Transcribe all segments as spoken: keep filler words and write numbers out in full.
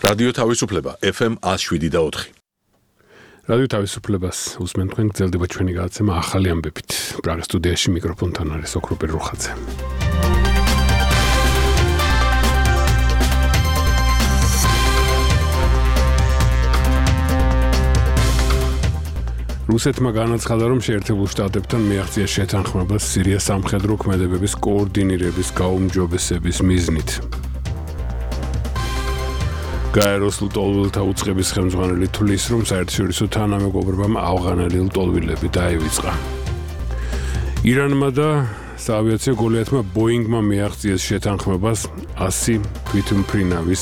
რადიო თავისუფლება ეფ ემ one oh seven და four. რადიო თავისუფლებას უსმენთ თქვენ გრძელდება ჩვენი გადაცემა ახალი ამბებით. პრაღის სტუდიაში მიკროფონთან არის ოქროპირ რუხაძე. რუსეთმა განაცხადა, რომ შეერთებულ შტატებთან მიაღწია შეთანხმებას სირიას სამხედრო ქმედებების კოორდინირების გაუმჯობესების მიზნით. გაეროს ლტოლვილთა უწყების ხელმძღვანელი თვლის, რომ საერთაშორისო თანამეგობრობამ ავღანელი ლტოლვილები დაივიწყა. ირანმა და საავიაციო გოლიათმა ბოინგმა მიაღწიეს შეთანხმებას one hundred თვითმფრინავის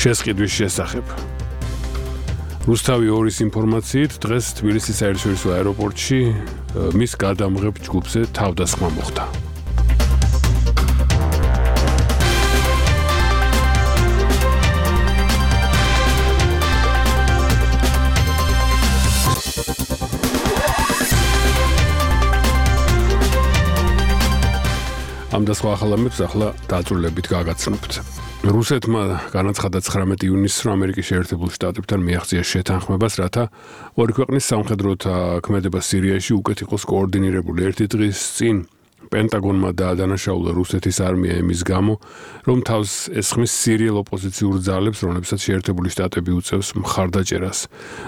შესყიდვის შესახებ. რუსთავი ორის ინფორმაციით, დღეს თბილისის საერთაშორისო აეროპორტში მის გადამღებ ჯგუფზე თავდასხმა მოხდა. ამ და სხვა ახალ ამბებს ახლა დაწვრილებით გაგაცნობთ. რუსეთმა განაცხადა ცხრამეტი ივნისს, რომ ამერიკის შეერთებულ შტატებთან მიაღწია შეთანხმებას, რათა ორი ქვეყნის სამხედროთა ქმედება სირიაში უკეთ იყოს კოორდინირებული. ერთი დღის წინ პენტაგონმა დაადანაშაულა რუსეთის არმია იმის გამო, რომ თავს ესხმის სირიელ ოპოზიციურ ძალებს, რომლებსაც შეერთებული შტატები უწევს მხარდაჭერას.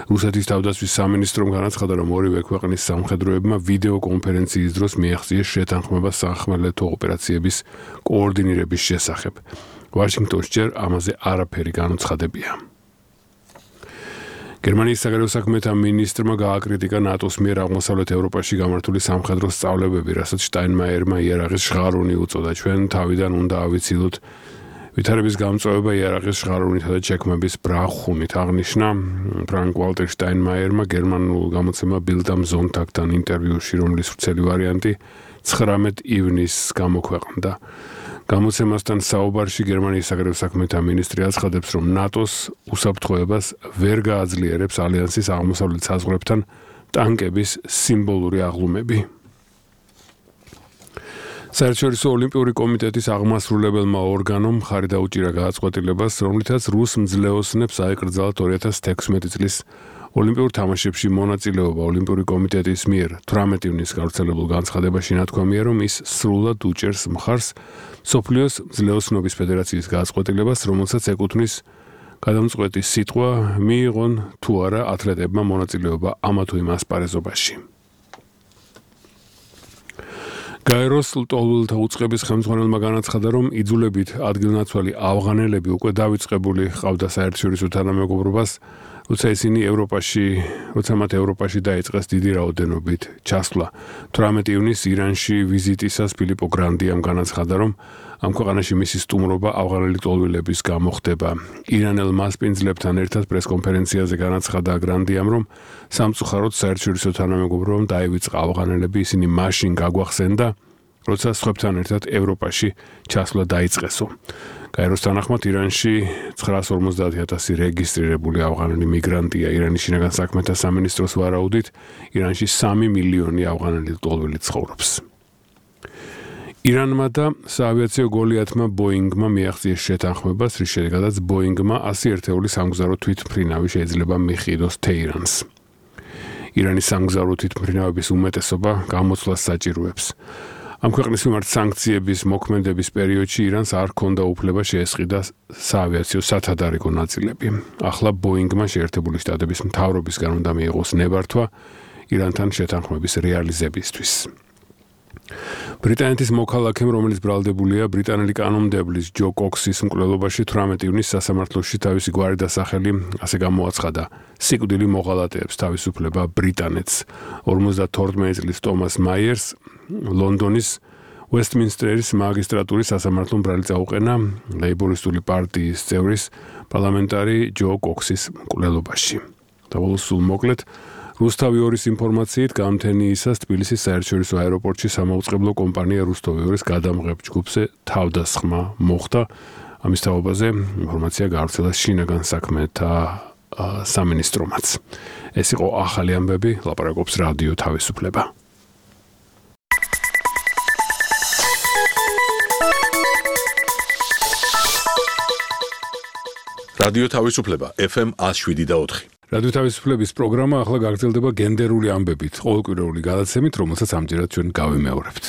რუსეთის თავდაცვის სამინისტრომ განაცხადა, რომ ორივე ქვეყნის სამხედროებმა ვიდეო კონფერენციის დროს მიაღწიეს შეთანხმებას სახმელეთო ოპერაციების კოორდინირების შესახებ. ვაშინგტონში ჯერ ამაზე არაფერი განუცხადებია. გერმანიის საგარეო საქმეთა მინისტრმა გააკრიტიკა ნატოს მიერ აღმოსავლეთ ევროპაში გამართული სამხედრო სწავლებები, რასაც შტაინმაიერმა იარაღის ჟღარუნი უწოდა. ჩვენ თავიდან უნდა ავიცილოთ ვითარების გამწვევება იარაღის ჟღარუნითა და ჩექმების ბრახუნით, აღნიშნა ფრანკ ვალტერ შტაინმაიერმა გერმანულ გამოცემა Bild am Sonntag-თან ინტერვიუში, რომლის ვრცელი ვარიანტი ცხრამეტ ივნისს გამოქვეყნდა. გამოცემასთან საუბარში გერმანიის საგარეო საქმეთა მინისტრი აცხადებს, რომ ნატოს უსაფრთხოებას ვერ გააძლიერებს ალიანსის აღმოსავლეთ საზღვრებთან ტანკების სიმბოლური აღლუმები. საერთაშორისო ოლიმპიური კომიტეტის აღმასრულებელმა ორგანომ მხარი დაუჭირა გადაწყვეტილებას, რომლითაც რუს მძლეოსნებს აეკრძალათ two thousand sixteen წლის ოლიმპიურ თამაშებში მონაწილეობა. ოლიმპიური კომიტეტის მიერ თვრამეტი ივნისს გავრცელებულ განცხადებაში ნათქვამია, რომ ის სრულად უჭერს მხარს მსოფლიოს მძლეოსნობის ფედერაციის გადაწყვეტილებას, რომელსაც ეკუთვნის გადამწყვეტი სიტყვა მიიღონ თუ არა ათლეტებმა მონაწილეობა ამა თუ იმ ასპარეზობაში. გაეროს ლტოლვილთა უწყების ხელმძღვანელმა განაცხადა, რომ იძულებით ადგილნაცვალი ავღანელები უკვე დავიწყებული ჰყავდა საერთაშორისო თანამეგობრობას, როცა ისინი ევროპაში, როცა მათ ევროპაში დაიწყეს დიდი რაოდენობით ჩასვლა. თვრამეტი ივნისს ირანში ვიზიტისას ფილიპო გრანდიამ განაცხადა, რომ ამ ქვეყანაში მისი სტუმრობა ავღანელი ლტოლვილების გამო ხდება. ირანელ მასპინძლებთან ერთად პრესკონფერენციაზე განაცხადა გრანდიამ, რომ სამწუხაროდ საერთაშორისო თანამეგობრობამ დაივიწყა ავღანელები, ისინი მაშინ გაგვახსენდა, როცა სხვებთან ერთად ევროპაში ჩასვლა დაიწყესო. გაეროს თანახმად ირანში nine hundred fifty thousand რეგისტრირებული ავღანელი მიგრანტია. ირანის შინაგან საქმეთა სამინისტროს ვარაუდით, ირანში three მილიონი ავღანელი ლტოლვილი ცხოვრობს. ირანმა და საავიაციო გოლიათმა ბოინგმა მიაღწიეს შეთანხმებას, რის შედეგადაც ბოინგმა one hundred ერთეული სამგზავრო თვითმფრინავი შეიძლება მიჰყიდოს თეირანს. ირანის სამგზავრო თვითმფრინავების უმეტესობა გამოცვლას საჭიროებს. ამ ქვეყნის მიმართ სანქციების მოქმედების პერიოდში ირანს არ ჰქონდა უფლება შეესყიდა საავიაციო სათადარიგო ნაწილები. ახლა ბოინგმა შეერთებული შტატების მთავრობისგან უნდა მიიღოს ნებართვა ირანთან შეთანხმების რეალიზებისთვის. ბრიტანეთის მოქალაქემ, რომელიც ბრალდებულია ბრიტანელი კანონმდებლის ჯო კოქსის მკვლელობაში, თვრამეტი ივნისს სასამართლოში თავისი გვარი და სახელი ასე გამოაცხადა: სიკვდილი მოღალატეებს თავისუფლება ბრიტანეთს. ორმოცდათორმეტი წლის ტომას მაიერს ლონდონის ვესტმინსტერის მაგისტრატურის სასამართლომ ბრალი წაუყენა ლეიბორისტული პარტიის წევრის პარლამენტარი ჯო კოქსის მკვლელობაში. და სულ მოკლედ, რუსთავი ორის ინფორმაციით, გამთენიისას თბილისის საერთაშორისო აეროპორტში სამაუწყებლო კომპანია რუსთავი ორის გადამღებ ჯგუფზე თავდასხმა მოხდა. ამის თაობაზე ინფორმაცია გავრცელა შინაგან საქმეთა სამინისტრომაც. ეს იყო ახალი ამბები, ლაპარაკობს რადიო თავისუფლება. რადიო თავისუფლება ეფ ემ one oh seven point four. რადიო თავისუფლების პროგრამა ახლა გაგრძელდება გენდერული ამბებით, ყოველკვირეული გადაცემით, რომელსაც ამჯერად ჩვენ გავიმეორებთ.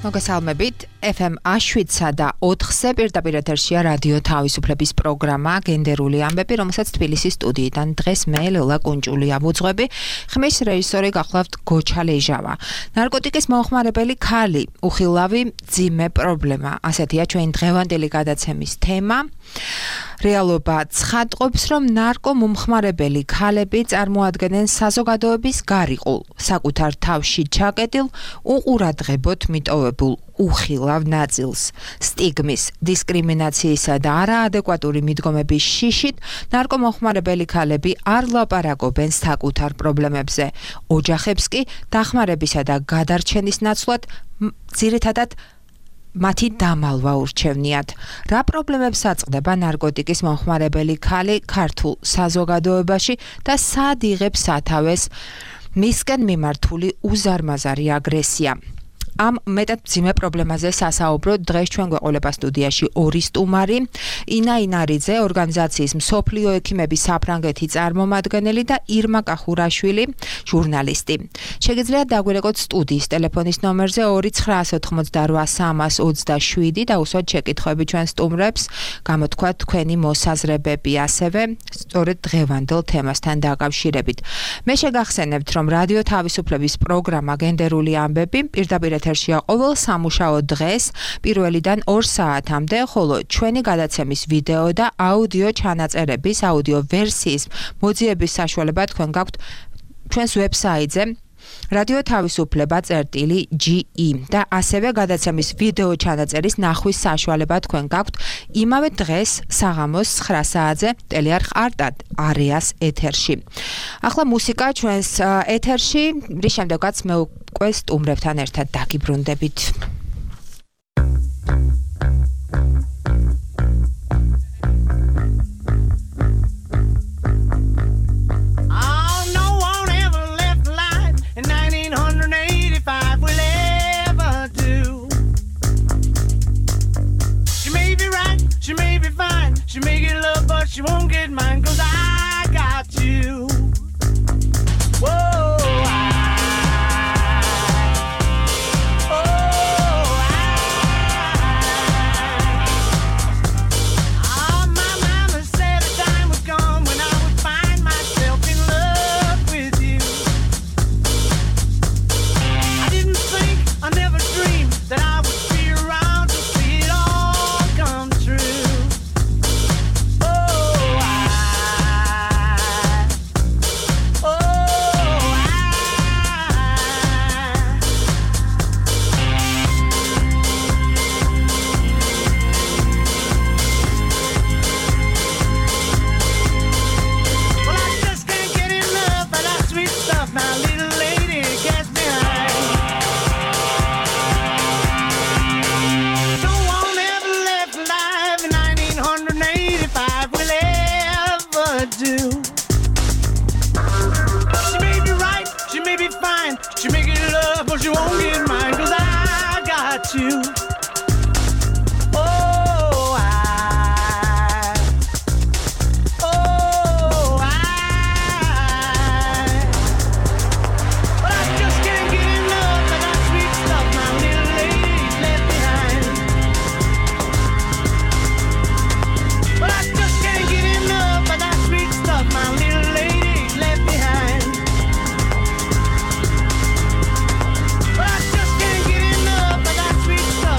მოგესალმებით. ეფ ემ one oh seven და ოთხზე პირდაპირ ეთერშია რადიო თავისუფლების პროგრამა გენდერული ამბები, რომელსაც თბილისის სტუდიიდან დღეს მე ლელა კუნჭულია ვუძღვები. ხმის რეჟისორი გახლავთ გოჩა ლეჟავა. ნარკოტიკის მომხმარებელი ქალი, უხილავი მძიმე პრობლემა. ასეთია ჩვენი დღევანდელი გადაცემის თემა. რეალობა ცხადყოფს, რომ ნარკომომხმარებელი ქალები წარმოადგენენ საზოგადოების გარიყულ, საკუთარ თავში ჩაკეტილ, უყურადღებოდ მიტოვებულ უხილავ ნაწილს. სტიგმის, დისკრიმინაციისა და არაადეკვატური მიდგომების შიშით ნარკომომხმარებელი ქალები არ ლაპარაკობენ საკუთარ პრობლემებზე. ოჯახებს კი დახმარებისა და გადარჩენის ნაცვლად ძირითადად მათი დამალვა ურჩევნიათ. რა პრობლემებს აწყდება ნარკოტიკის მომხმარებელი ქალი ქართულ საზოგადოებაში და სად იღებს სათავეს მისკენ მიმართული უზარმაზარი აგრესია? ამ მეტად მძიმე პრობლემაზე სასაუბროდ დღეს ჩვენ გვეყოლება სტუდიაში ორი სტუმარი, ინა ინარიძე, ორგანიზაციის მსოფლიო ექიმების საფრანგეთი წარმომადგენელი და ირმა კახურაშვილი, ჟურნალისტი. შეგიძლიათ დაგვირეკოთ სტუდიის ტელეფონის ნომერზე ორი ცხრა ოთხმოცდაოთხ სამას ოცდაშვიდი და უსვათ შეკითხვები ჩვენ სტუმრებს, გამოთქვათ თქვენი მოსაზრებები, ასევე სწორედ დღევანდელ თემასთან დაკავშირებით. მე შეგახსენებთ, რომ რადიო თავისუფლების პროგრამა გენდერული ამბები პირდაპირ ეთერშია ყოველ სამუშაო დღეს პირველიდან ორ საათამდე, ხოლო ჩვენი გადაცემის ვიდეო და აუდიო ჩანაწერების, აუდიო ვერსიის მოძიების საშუალება თქვენ გაქვთ ჩვენს ვებსაიტზე რადიო თავისუფლება წერტილი ჯი ი და ასევე გადაცემის ვიდეო ჩანაწერის ნახვის საშუალება თქვენ გაქვთ იმავე დღეს საღამოს ცხრა საათზე ტელეარხ არტად არეას ეთერში. ახლა მუსიკა ჩვენს ეთერში, რის შემდეგაც მე უკვე სტუმრებთან ერთად დაგიბრუნდებით. She may be fine, she may get love, but she won't get mine, cause I got you. Whoa, I, oh, I, oh, my mama said the time would come when I would find myself in love with you. I didn't think, I never dreamed that I would be around to see it all come true. She may get love, but she won't get mine, cause I got you. Oh, I, oh, I, but I just can't get enough of that sweet stuff my little lady's left behind. But I just can't get enough of that sweet stuff my little lady's left behind. But I just can't get enough of that sweet stuff.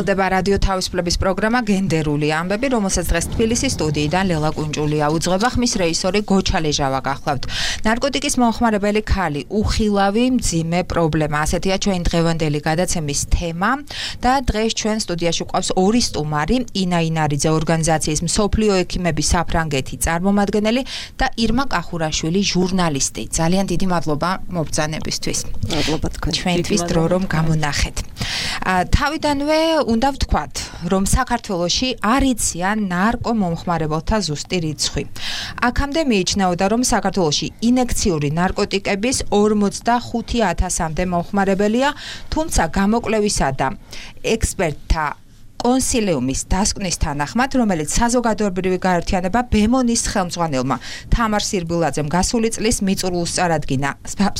გრძელდება რადიო თავისუფლების პროგრამა გენდერული ამბები, რომელსაც დღეს თბილისის სტუდიიდან ლელა კუნჭულია უძღვება, ხმის რეჟისორი გოჩა ლეჟავა გახლავთ. ნარკოტიკის მომხმარებელი ქალი, უხილავი მძიმე პრობლემა. ასეთია ჩვენ დღევანდელი გადაცემის თემა და დღეს ჩვენ სტუდიაში გვყავს ორი სტუმარი, ინა ინარიძე ორგანიზაციის მსოფლიო ექიმების საფრანგეთი წარმომადგენელი და ირმა კახურაშვილი ჟურნალისტი. ძალიან დიდი მადლობა მობრძანებისთვის. მადლობა თქვენ. ჩვენთვის დრო რომ გამონახეთ. თავიდანვე უნდა ვთქვათ, რომ საქართველოში არ იციან ნარკომომხმარებელთა ზუსტი რიცხვი. აქამდე მიიჩნეოდა, რომ საქართველოში ინექციური ნარკოტიკების ორმოცდახუთი ათასამდე მომხმარებელია, თუმცა გამოკვლევისა და ექსპერტთა კონსილიუმის დასკვნის თანახმად, რომელიც საზოგადოებრივი გაერთიანება ბემონის ხელმძღვანელმა თამარ სირბილაძემ გასული წლის მიწურულს წარადგინა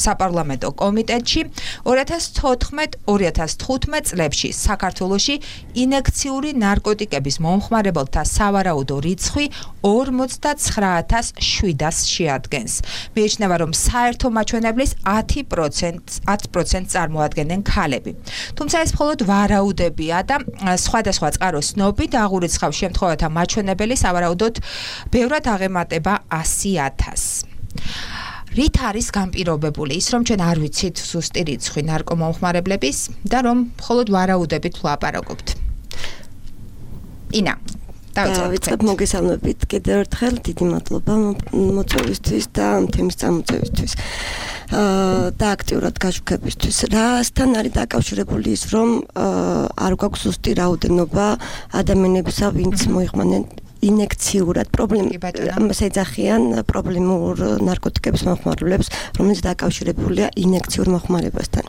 საპარლამენტო კომიტეტში, ორი ათას თოთხმეტ ორი ათას თხუთმეტ წლებში საქართველოში ინექციური ნარკოტიკების მომხმარებელთა სავარაუდო რიცხვი ორმოცდაცხრა ათას შვიდას შეადგენს. მიიჩნევა, რომ საერთო მაჩვენებლის ათი პროცენტს წარმოადგენენ ქალები. თუმცა ეს მხოლოდ ვარაუდებია და სხვა სხვა წყაროს ცნობი და აღურიცხავს შემთხვევათა მაჩვენებელი სავარაუდოდ ბევრად აღემატება ასი ათასს. რით არის განპირობებული ის, რომ ჩვენ არ ვიცით ზუსტი რიცხვი ნარკომომხმარებლების და რომ მხოლოდ ვარაუდებით ვლაპარაკობთ? ინა, დავიწყებ მოგესალმებით კიდევ ერთხელ, დიდი მადლობა მოწვევისთვის და თემის წამოწევისთვის. და აქტიურად გაშვებისთვის. რასთან არის დაკავშირებული ის, რომ არ გვაქვს ზუსტი რაოდენობა ადამიანებისა, ვინც მოიყვანენ ინექციურად პრობლემას ეძახიან პრობლემურ ნარკოტიკების მომხმარებლებს, რომელიც დაკავშირებულია ინექციურ მოხმარებასთან.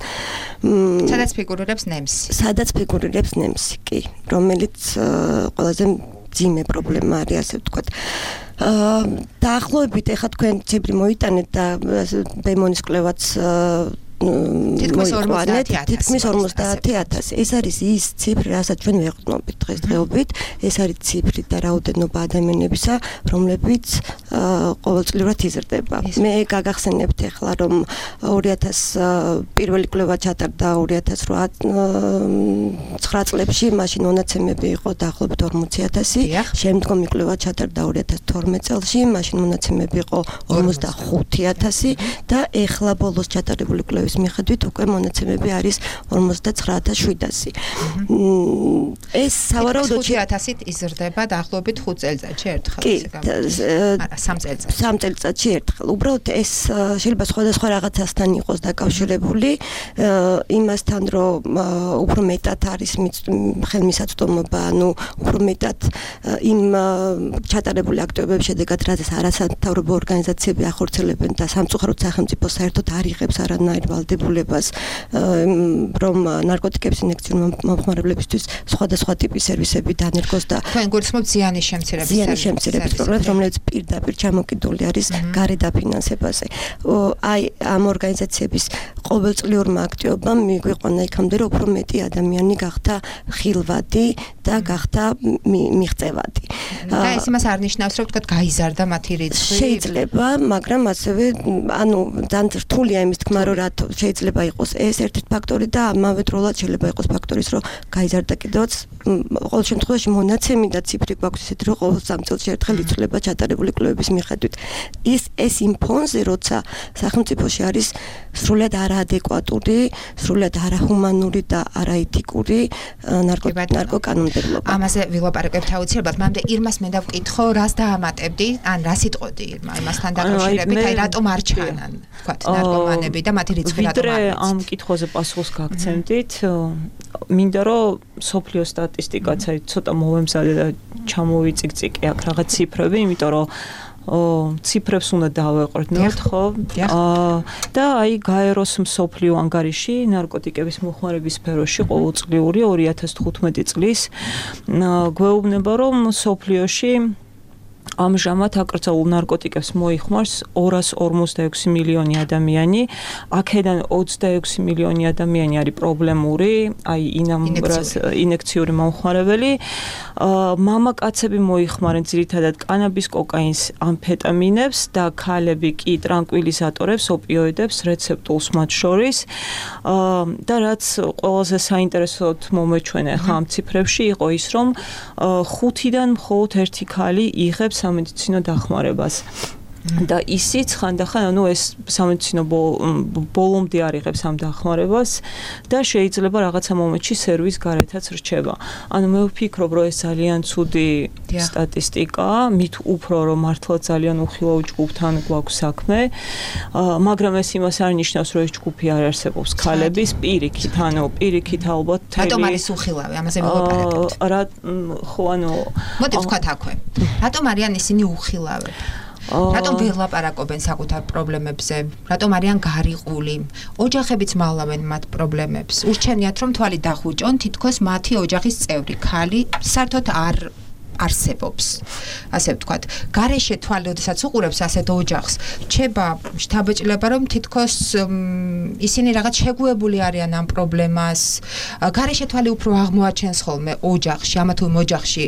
სადაც ფიგურირებს ნემსი. სადაც ფიგურირებს ნემსი, კი, რომელიც ყველაზე მძიმე პრობლემა არის, ასე ვთქვათ. დაახლოებით ეხლა თქვენ ციფრი მოიტანეთ და ბემონის კვლევაც თითქმის ორმოცდაათი ათასი. ეს არის ის ციფრი, რასაც ჩვენ ვეყრდნობით დღესდღეობით. ეს არის ციფრი და რაოდენობა ადამიანებისა, რომლებიც ყოველწლიურად იზრდება. მე გაგახსენებთ ეხლა, რომ ორი ათას პირველი კვლევა ჩატარდა ორი ათას ცხრა წლებში, მაშინ მონაცემები იყო დაახლოებით ორმოცი ათასი. შემდგომი კვლევა ჩატარდა ორი ათას თორმეტ წელს, მაშინ მონაცემები იყო ორმოცდახუთი ათასი და ეხლა ბოლოს ჩატარებული კვლევის მიხედვით უკვე მონაცემები არის ორმოცდაცხრა ათას შვიდასი. ეს სავარაუდოდ ხუთი ათასით იზრდება დაახლოებით ხუთ წელიწადში ერთხელ. კი, სამ წელიწადში. სამ წელიწადში ერთხელ. უბრალოდ ეს შეიძლება სხვადასხვა რაღაცასთან იყოს დაკავშირებული, იმასთან, რომ უფრო მეტად არის ხელმისაწვდომობა, ანუ უფრო მეტად იმ ჩატარებული აქტივობების შედეგად, რადგან არასამთავრობო ორგანიზაციები ახორციელებენ და სამწუხაროდ სახელმწიფო საერთოდ არ იღებს არანაირ ვალდებულებას, რომ ნარკოტიკების ინექციურ მომხმარებლებისთვის სხვადასხვა ტიპის სერვისები დანერგოს და თქვენ გულისხმობთ ზიანის შემცირების ზიანის შემცირების პროგრამას, რომელიც პირდაპირ ჩამოკიდული არის გარე დაფინანსებაზე. აი ამ ორგანიზაციების ყოველწლიურმა აქტივობამ მიგვიყვანა იქამდე, რომ უფრო მეტი ადამიანი გახდა ხილვადი და გახდა მიღწევადი. და ეს იმას არ ნიშნავს, რომ თქვა გაიზარდა მათი რიცხვი? შეიძლება, მაგრამ ასევე ანუ ძალიან რთულია იმის თქმა, რომ რატო შეიძლება იყოს ეს ერთ-ერთი ფაქტორი და ამავე დროულად შეიძლება იყოს ფაქტორის, რომ გაიზარდა კიდევაც ყოველ შემთხვევაში მონაცემი და ციფრი გვაქვს ისეთი, რომ ყოველ სამ წელს ერთხელ იცვლება ჩატარებული კვლევების მიხედვით. ის ეს იმ ფონზე, როცა სახელმწიფოში არის სრულად არაადეკვატური, სრულად არაჰუმანური და არაეთიკური ნარკოკანონმდებლობა. ამაზე ვილაპარაკებთ აუცილებლად. მამდე ირმას მე დავკითხო, რას დაამატებდი, ან რას იტყოდი ირმა იმასთან დაკავშირებით, აი რატომ არ ჩანან, თქვათ, ნარკომანები და მათი რიცხვი რატომ არ არის? ამ კითხვაზე პასუხს გაგცემდით. მინდა რომ სოფლიო სტატისტიკაც აი ცოტა მოვემზადე და ჩამოვიწიკწიკე აქ რაღაც ციფრები, იმიტომ რომ ციფრებს უნდა დავეყრდნოთ, ხო? და აი გაეროს მსოფლიო ანგარიში ნარკოტიკების მოხმარების სფეროში ყოველწლიური ორი ათას თხუთმეტი წლის გვეუბნება, რომ სოფლიოში ამჟამად აკრძალულ ნარკოტიკებს მოიხმარს ორას ორმოცდაექვსი მილიონი ადამიანი, აქედან ოცდაექვსი მილიონი ადამიანი არის პრობლემური, აი ინექციური მომხმარებელი. მამაკაცები მოიხმარენ ძირითადად კანაბის, კოკაინს, ამფეტამინებს და ქალები კი ტრანკვილიზატორებს, ოპიოიდებს, რეცეპტულს მათ შორის. და რაც ყველაზე საინტერესოდ მომეჩვენა ხა ამ ციფრებში იყო ის, რომ ხუთიდან მხოლოდ ერთი ქალი იღებს სამედიცინო დახმარებას. და ისიც ხანდახან ანუ ეს სამედიცინო ბოლომდე არ იღებს ამ დახმარებას და შეიძლება რაღაცა მომენტში სერვის გარეთაც რჩება. ანუ მე ვფიქრობ, რომ ეს ძალიან ცუდი სტატისტიკაა, მით უფრო რომ მართლა ძალიან უხილავ ჯგუფთან გვაქვს საქმე, მაგრამ ეს იმას არ ნიშნავს, რომ ეს ჯგუფი არ არსებობს ქალების პირიქით, ანუ პირიქით ალბათ რატომ არის უხილავი? ამაზე მოვაპარაკებთ. რა ხო ანუ მოდი ვთქვათ აქვე. რატომ არიან ისინი უხილავები? რატომ ვერ ლაპარაკობენ საკუთარ პრობლემებზე? რატომ არიან გარიყული? ოჯახებიც მალავენ მათ პრობლემებს. ურჩევნიათ რომ თვალი დახუჭონ, თითქოს მათი ოჯახის წევრი, ქალი საერთოდ არ არსებობს. ასე ვთქვათ, გარეშე თვალი, როდესაც უყურებს ასეთ ოჯახს, რჩება შთაბეჭდილება, რომ თითქოს ისინი რაღაც შეგუებული არიან ამ პრობლემას. გარეშე თვალი უფრო აღმოაჩენს ხოლმე ოჯახში, ამა თუ იმ ოჯახში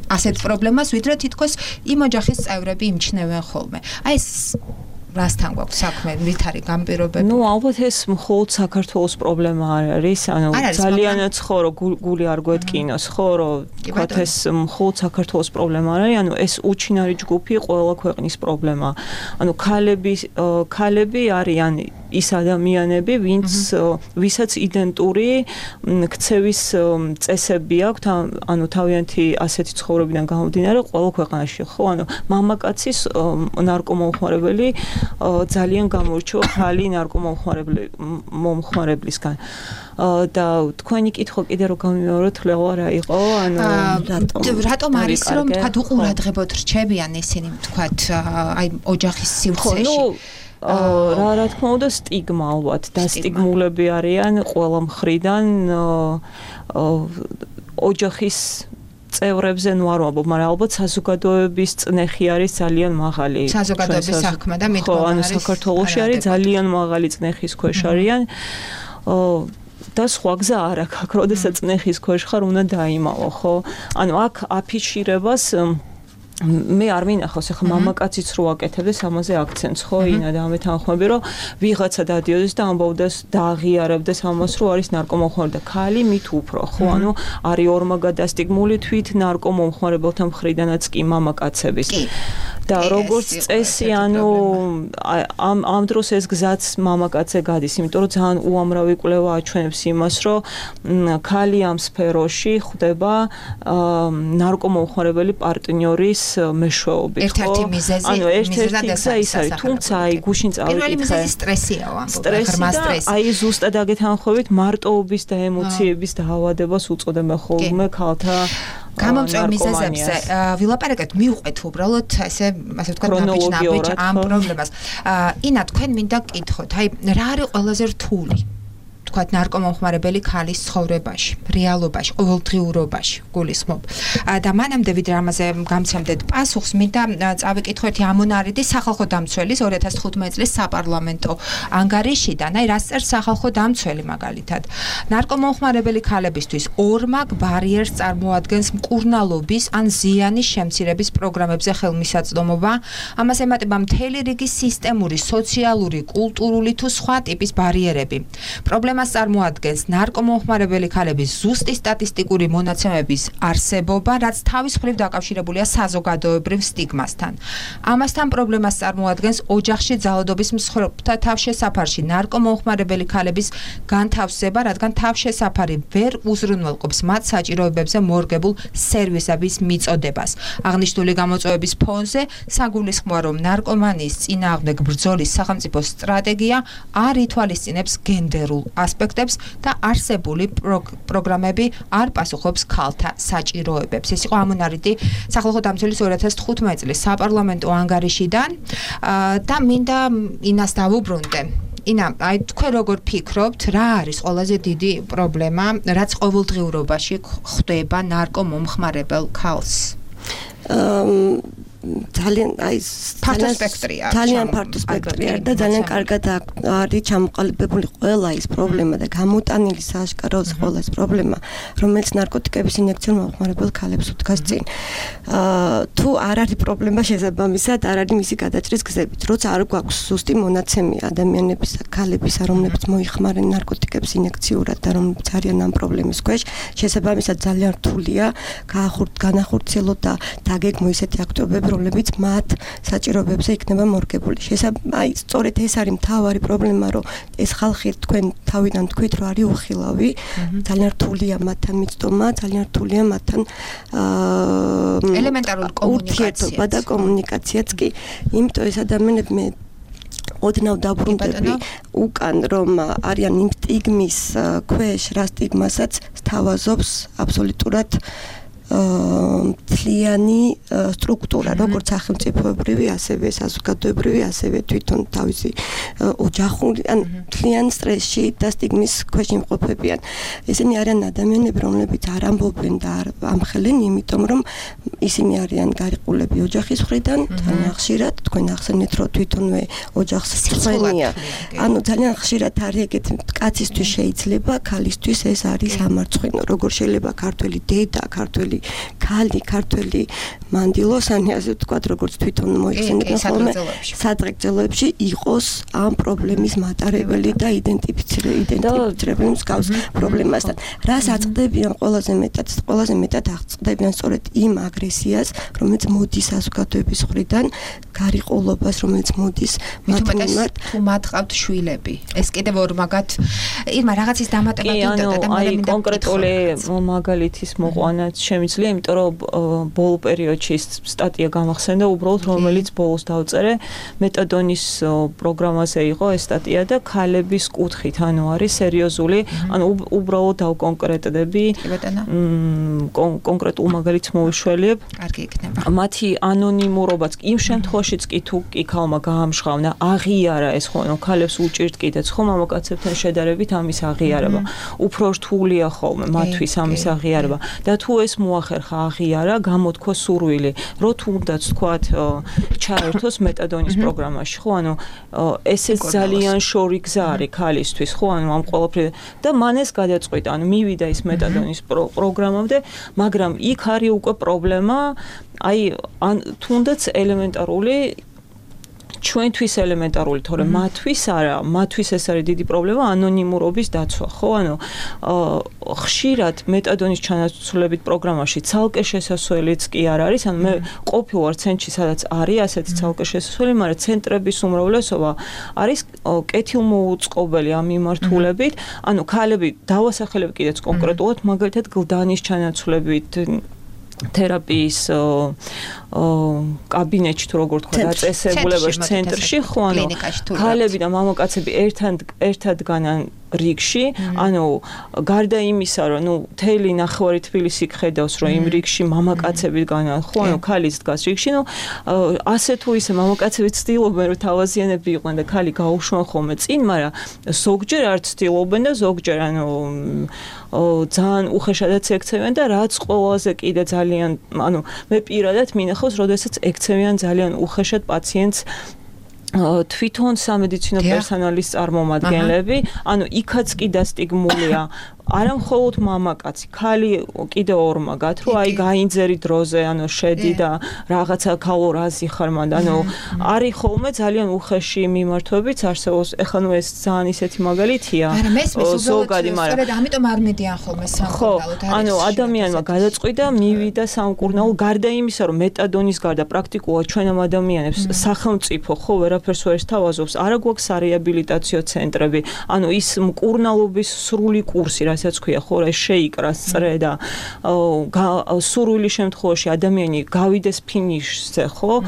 ასეთ პრობლემას, ვიდრე თითქოს იმ ოჯახის წევრები იმჩნევენ ხოლმე. აი ეს რასთან გვაქვს საქმე, რით არის განპირობები? ნუ ალბათ ეს მხოლოდ საქართველოს პრობლემა არ არის, ანუ ძალიან ცხორო გული არ გვეტკინოს, ხო, რომ თქვათ ეს მხოლოდ საქართველოს პრობლემა არ არის, ანუ ეს უჩინარი ჯგუფი ყველა ქვეყნის პრობლემაა. ანუ ქალები ქალები არიან ის ადამიანები, ვინც ვისაც იდენტური ქცევის წესები აქვთ, ანუ თავიანთი ასეთი ცხოვრებიდან გამომდინარე ყველა ქვეყანაში, ხო, ანუ მამაკაცის ნარკომომხმარებელი ძალიან გამორჩევა ხალი ნარკომომხმარებლისგან. და თქვენი კითხვა კიდე რო გამიმეოროთ, ლეღვა რა იყო, ანუ რატომ არის რომ თქვა უყურადღებოთ რჩებიან ისინი, თქვათ აი ოჯახის სივრცეში? რა რა თქმა უნდა სტიგმა ალბათ და სტიგმულები არიან ყველა მხრიდან ოჯახის წევრებზე ნუ არ ვამბობ, მაგრამ ალბათ საზოგადოების წნეხი არის ძალიან მაღალი. საზოგადოების საქმე და მიდგომა არის. ხო, ანუ საქართველოში არის ძალიან მაღალი წნეხის ქვეშ არიან. და სხვა გზა არ აქვს, აქ როდესაც წნეხის ქვეშ ხარ, უნდა დაიმალო, ხო? ანუ აქ აფიშირებას მე არ მინახავს, ახლა მამაკაციც რო აკეთებდეს ამაზე აქცენტს, ხო, ინა და ამით ამხმები, რომ ვიღაცა დადიოდეს და ამბობდეს და აღიარებდეს ამას, რომ არის ნარკომომხმარებელი და ქალი მით უფრო, ხო, ანუ არის ორმაგადასტიგმული თვით ნარკომომხმარებელთა მხრიდანაც კი მამაკაცების. და როგორც წესი, ანუ ამ ამ დროს ეს გზაც მამაკაცზე გადის, იმიტომ რომ ძალიან უამრავი კვლევა აჩვენებს იმას, რომ ქალი ამ სფეროში ხვდება ნარკომომხმარებელი პარტნიორის მეშვეობით, ხო? ერთ-ერთი მიზეზი, ანუ ერთ-ერთი გზა ის არის, თუმცა აი გუშინ წავიკითხე. პირველი მიზეზი სტრესია, ღრმა სტრესი. აი ზუსტად აგეთ ამხობით მარტოობის და ემოციების დაავადებას უწოდებენ ხოლმე ქალთა გამომწვევ მიზეზებზე ვილაპარაკეთ, მივყვეთ უბრალოდ ესე ასე ვთქვათ ნაბიჯ-ნაბიჯ ამ პრობლემას. ინა, თქვენ მინდა გკითხოთ, აი რა არის ყველაზე რთული თქვათ ნარკომომხმარებელი ქალის ცხოვრებაში, რეალობაში, ყოველდღიურობაში, გულისხმობ. და მანამდე ვიდრე ამაზე გამცემდეთ პასუხს, მინდა წავიკითხო ერთი ამონარიდი სახალხო დამცველის ორი ათას თხუთმეტი წლის საპარლამენტო ანგარიშიდან, აი რას წერს სახალხო დამცველი მაგალითად. ნარკომომხმარებელი ქალებისთვის ორმაგ ბარიერს წარმოადგენს მკურნალობის ან ზიანის შემცირების პროგრამებზე ხელმისაწვდომობა. ამას ემატება მთელი რიგი სისტემური, სოციალური, კულტურული თუ სხვა ტიპის ბარიერები. პრობლემას წარმოადგენს ნარკომომხმარებელი ქალების ზუსტი სტატისტიკური მონაცემების არსებობა, რაც თავის მხრივ დაკავშირებულია საზოგადოებრივ სტიგმასთან. ამასთან პრობლემას წარმოადგენს ოჯახში ძალადობის მსხვერპლთა თავშესაფარში ნარკომომხმარებელი ქალების განთავსება, რადგან თავშესაფარი ვერ უზრუნველყოფს მათ საჭიროებებზე მორგებულ სერვისების მიწოდებას. აღნიშნული გამოწვევების ფონზე საგულისხმოა, რომ ნარკომანიის წინააღმდეგ ბრძოლის სახელმწიფო სტრატეგია არ ითვალისწინებს გენდერულ ასპექტებს და არსებული პროგრამები არ პასუხობს ქალთა საჭიროებებს. ეს იყო ამონარიდი სახალხო დამცველის ორი ათას თხუთმეტი წლის საპარლამენტო ანგარიშიდან და მინდა ინას დავუბრუნდე. ინა, აი თქვენ როგორ ფიქრობთ, რა არის ყველაზე დიდი პრობლემა, რაც ყოველდღიურობაში ხვდება ნარკომომხმარებელ ქალს? ძალიან აი ფართო სპექტრია ძალიან ფართო სპექტრია და ძალიან კარგად არის ჩამოყალიბებული ყველა ის პრობლემა და გამოტანილი სააშკაროზე ყველა ის პრობლემა, რომელიც ნარკოტიკების ინიექციურ მომხმარებელ ქალებს უდგას წინ. თუ არ არის პრობლემა შესაბამისად, არ არის მისი გადაჭრის გზებით. როცა არ გვაქვს ზუსტი მონაცემი ადამიანების, ქალებისა, რომლებიც მოიხმარენ ნარკოტიკებს ინიექციურად და რომლებიც არიან ამ პრობლემის ქვეშ, შესაბამისად ძალიან რთულია განახორციელოთ და დაგეგმო ისეთი აქტივობები, რომლებიც მათ საჭიროებებზე იქნება მორგებული. შესაბამისად, აი, სწორედ ეს არის მთავარი პრობლემა, რომ ეს ხალხი თქვენ თავიდან თქვით, რომ არის უხილავი, ძალიან რთულია მათთან მიწდომა, ძალიან რთულია მათთან ელემენტარული ურთიერთობა და კომუნიკაციაც კი. იმიტომ ეს ადამიანები მე ოდნავ დაბრუნდები უკან, რომ არიან იმ სტიგმის ქვეშ, რა სტიგმასაც სთავაზობს აბსოლუტურად მთლიანი სტრუქტურა, როგორც სახელმწიფოებრივი, ასევე საზოგადოებრივი, ასევე თვითონ თავისი ოჯახური, ან მთლიან სტრესში და სტიგმის ქვეშ იმყოფებიან. ესენი არიან ადამიანები, რომლებიც არ ამბობენ და არ ამხელენ, იმიტომ რომ ისინი არიან გარიყულები ოჯახის მხრიდან, ძალიან ხშირად, თქვენ ახსენეთ, რომ თვითონვე ოჯახს წვენია. ანუ ძალიან ხშირად არის ეგეთი, კაცისთვის შეიძლება, ქალისთვის ეს არის სამარცხვინო. როგორ შეიძლება ქართველი დედა, ქართველი ქალი, ქართველი მანდილოსანი, ასე ვთქვათ, როგორც თვითონ მოიხსენებენ ხოლმე, სადღეგრძელოებში იყოს ამ პრობლემის მატარებელი და იდენტიფიცირებული მსგავს პრობლემასთან. რას აწყდებიან ყველაზე მეტად? ყველაზე მეტად აწყდებიან სწორედ იმ აგრესიას, რომელიც მოდის საზოგადოების მხრიდან, გარიყულობას, რომელიც მოდის მათ მიმართ. თუ მათ ყავთ შვილები. ეს კიდევ ორ მაგათ ირმა რაღაცის დამატება გინდოდა და მე მინდა კონკრეტული მაგალითის მოყვანაც შემიძლია, იმიტომ რომ ბოლო პერიოდში სტატია გამახსენდა, უბრალოდ რომელიც ბოლოს დავწერე, მეტადონის პროგრამაზე იყო ეს სტატია და ქალების კუთხით, ანუ არის სერიოზული, ანუ უბრალოდ დავკონკრეტდები, კონკრეტულ მაგალითს მოვიშველიებ. კარგი იქნება. მათი ანონიმურობაც იმ შემთხვევაშიც კი თუ კი ქალმა გაამშღავნა, აღიარა ეს ხო, ანუ ქალებს უჭირთ კიდეც ხო მამაკაცებთან შედარებით ამის აღიარება. უფრო რთულია ხოლმე მათთვის ამის აღიარება და თუ ეს მოახერხა აღიარა, გამოთქვა სურვილი, რო თუნდაც თქვათ ჩაერთოს მეტადონის პროგრამაში, ხო, ანუ ესეც ძალიან შორი გზა არის ქალისთვის, ხო, ანუ ამ ყველაფერი და მან ეს გადაწყვიტა, ანუ მივიდა ის მეტადონის პროგრამამდე, მაგრამ იქ არის უკვე პრობლემა, აი, თუნდაც ელემენტარული ჩვენთვის ელემენტარული, თორემ მათთვის არა, მათთვის ეს არის დიდი პრობლემა, ანონიმურობის დაცვა, ხო? ანუ ხშირად მეტადონის ჩანაცვლებით პროგრამაში ცალკე შესასვლელიც კი არ არის, ანუ მე ყოფილვარ ცენტრში, სადაც არის ასეთი ცალკე შესასვლელი, მაგრამ ცენტრების უმრავლესობა არის კეთილმოუწყობელი ამ მიმართულებით, ანუ ქალები დავასახელებ კიდეც კონკრეტულად, მაგალითად გლდანის ჩანაცვლებით თერაპიის კაბინეტში თუ როგორ თქვა დაწესებულებაში ცენტრში, ხო, ანუ ქალები და მამაკაცები ერთად ერთად განან რიგში, ანუ გარდა იმისა, რომ ნუ თელი ნახევარი თბილისი ხედავს, რომ იმ რიგში მამაკაცები განან, ხო, ანუ ქალის დგას რიგში, ნუ ასე თუ ისე მამაკაცები ცდილობენ, რომ თავაზიანები იყვნენ და ქალი გაუშვან ხოლმე წინ, მაგრამ ზოგჯერ არ ცდილობენ და ზოგჯერ ანუ ძალიან უხეშადაც ექცევიან და რაც ყველაზე კიდე ძალიან, ანუ მე პირადად მინახავს, როდესაც ექცევიან ძალიან უხეშად პაციენტს თვითონ სამედიცინო პერსონალის წარმომადგენლები, ანუ იქაც კი დასტიგმულია არა მხოლოდ მამაკაცი, ქალი კიდე ორმაგად, რომ აი გაინძერი დროზე, ანუ შედი და რაღაცა ქალორაზი ხარ მანდ, ანუ არის ხოლმე ძალიან უხეში მიმართვებიც არსებობს. ეხლა ნუ ეს ძალიან ისეთი მაგალითია. არა, მესმის უბრალოდ, სწორედ ამიტომ არ მედიან ხოლმე სამკურნალოდ. ხო, ანუ ადამიანმა გადაწყვიტა, მივიდა სამკურნალო, გარდა იმისა, რომ მეტადონის გარდა პრაქტიკულად ჩვენ ამ ადამიანებს სახელმწიფო ხო ვერაფერს ვერ სთავაზობს, არა გვაქვს სარეაბილიტაციო ცენტრები, ანუ ის მკურნალობის სრული კურსი რასაც ქვია, ხო, რა შეიკრა სწრე და სურვილი შემთხვევაში ადამიანი გავიდეს ფინიშზე, ხო?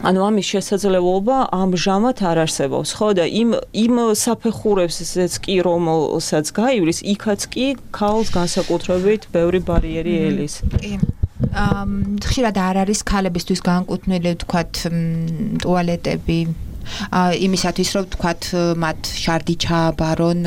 ანუ ამის შესაძლებლობა ამჟამად არ არსებობს, ხო და იმ იმ საფეხურებსაც კი რომელსაც გაივლის, იქაც კი ქალს განსაკუთრებით ბევრი ბარიერი ელის. კი. ხშირად არ არის ქალებისთვის განკუთვნილი, ვთქვათ, ტუალეტები, იმისათვის რომ თქვათ მათ შარდი ჩააბარონ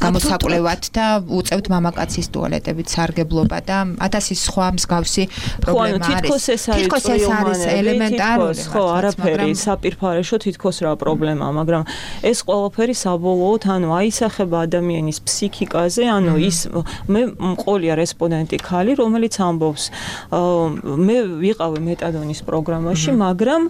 გამოსაკვლევად და უწევთ მამაკაცის ტუალეტებით სარგებლობა და ათასი სხვა მსგავსი პრობლემა არის. თითქოს ეს არის ელემენტარული. ხო, არაფერი საპირფარეშო თითქოს რა პრობლემაა, მაგრამ ეს ყველაფერი საბოლოოდ ანუ აისახება ადამიანის ფსიქიკაზე, ანუ ის მე მყოლია რესპონდენტი ქალი, რომელიც ამბობს მე ვიყავი მეტადონის პროგრამაში, მაგრამ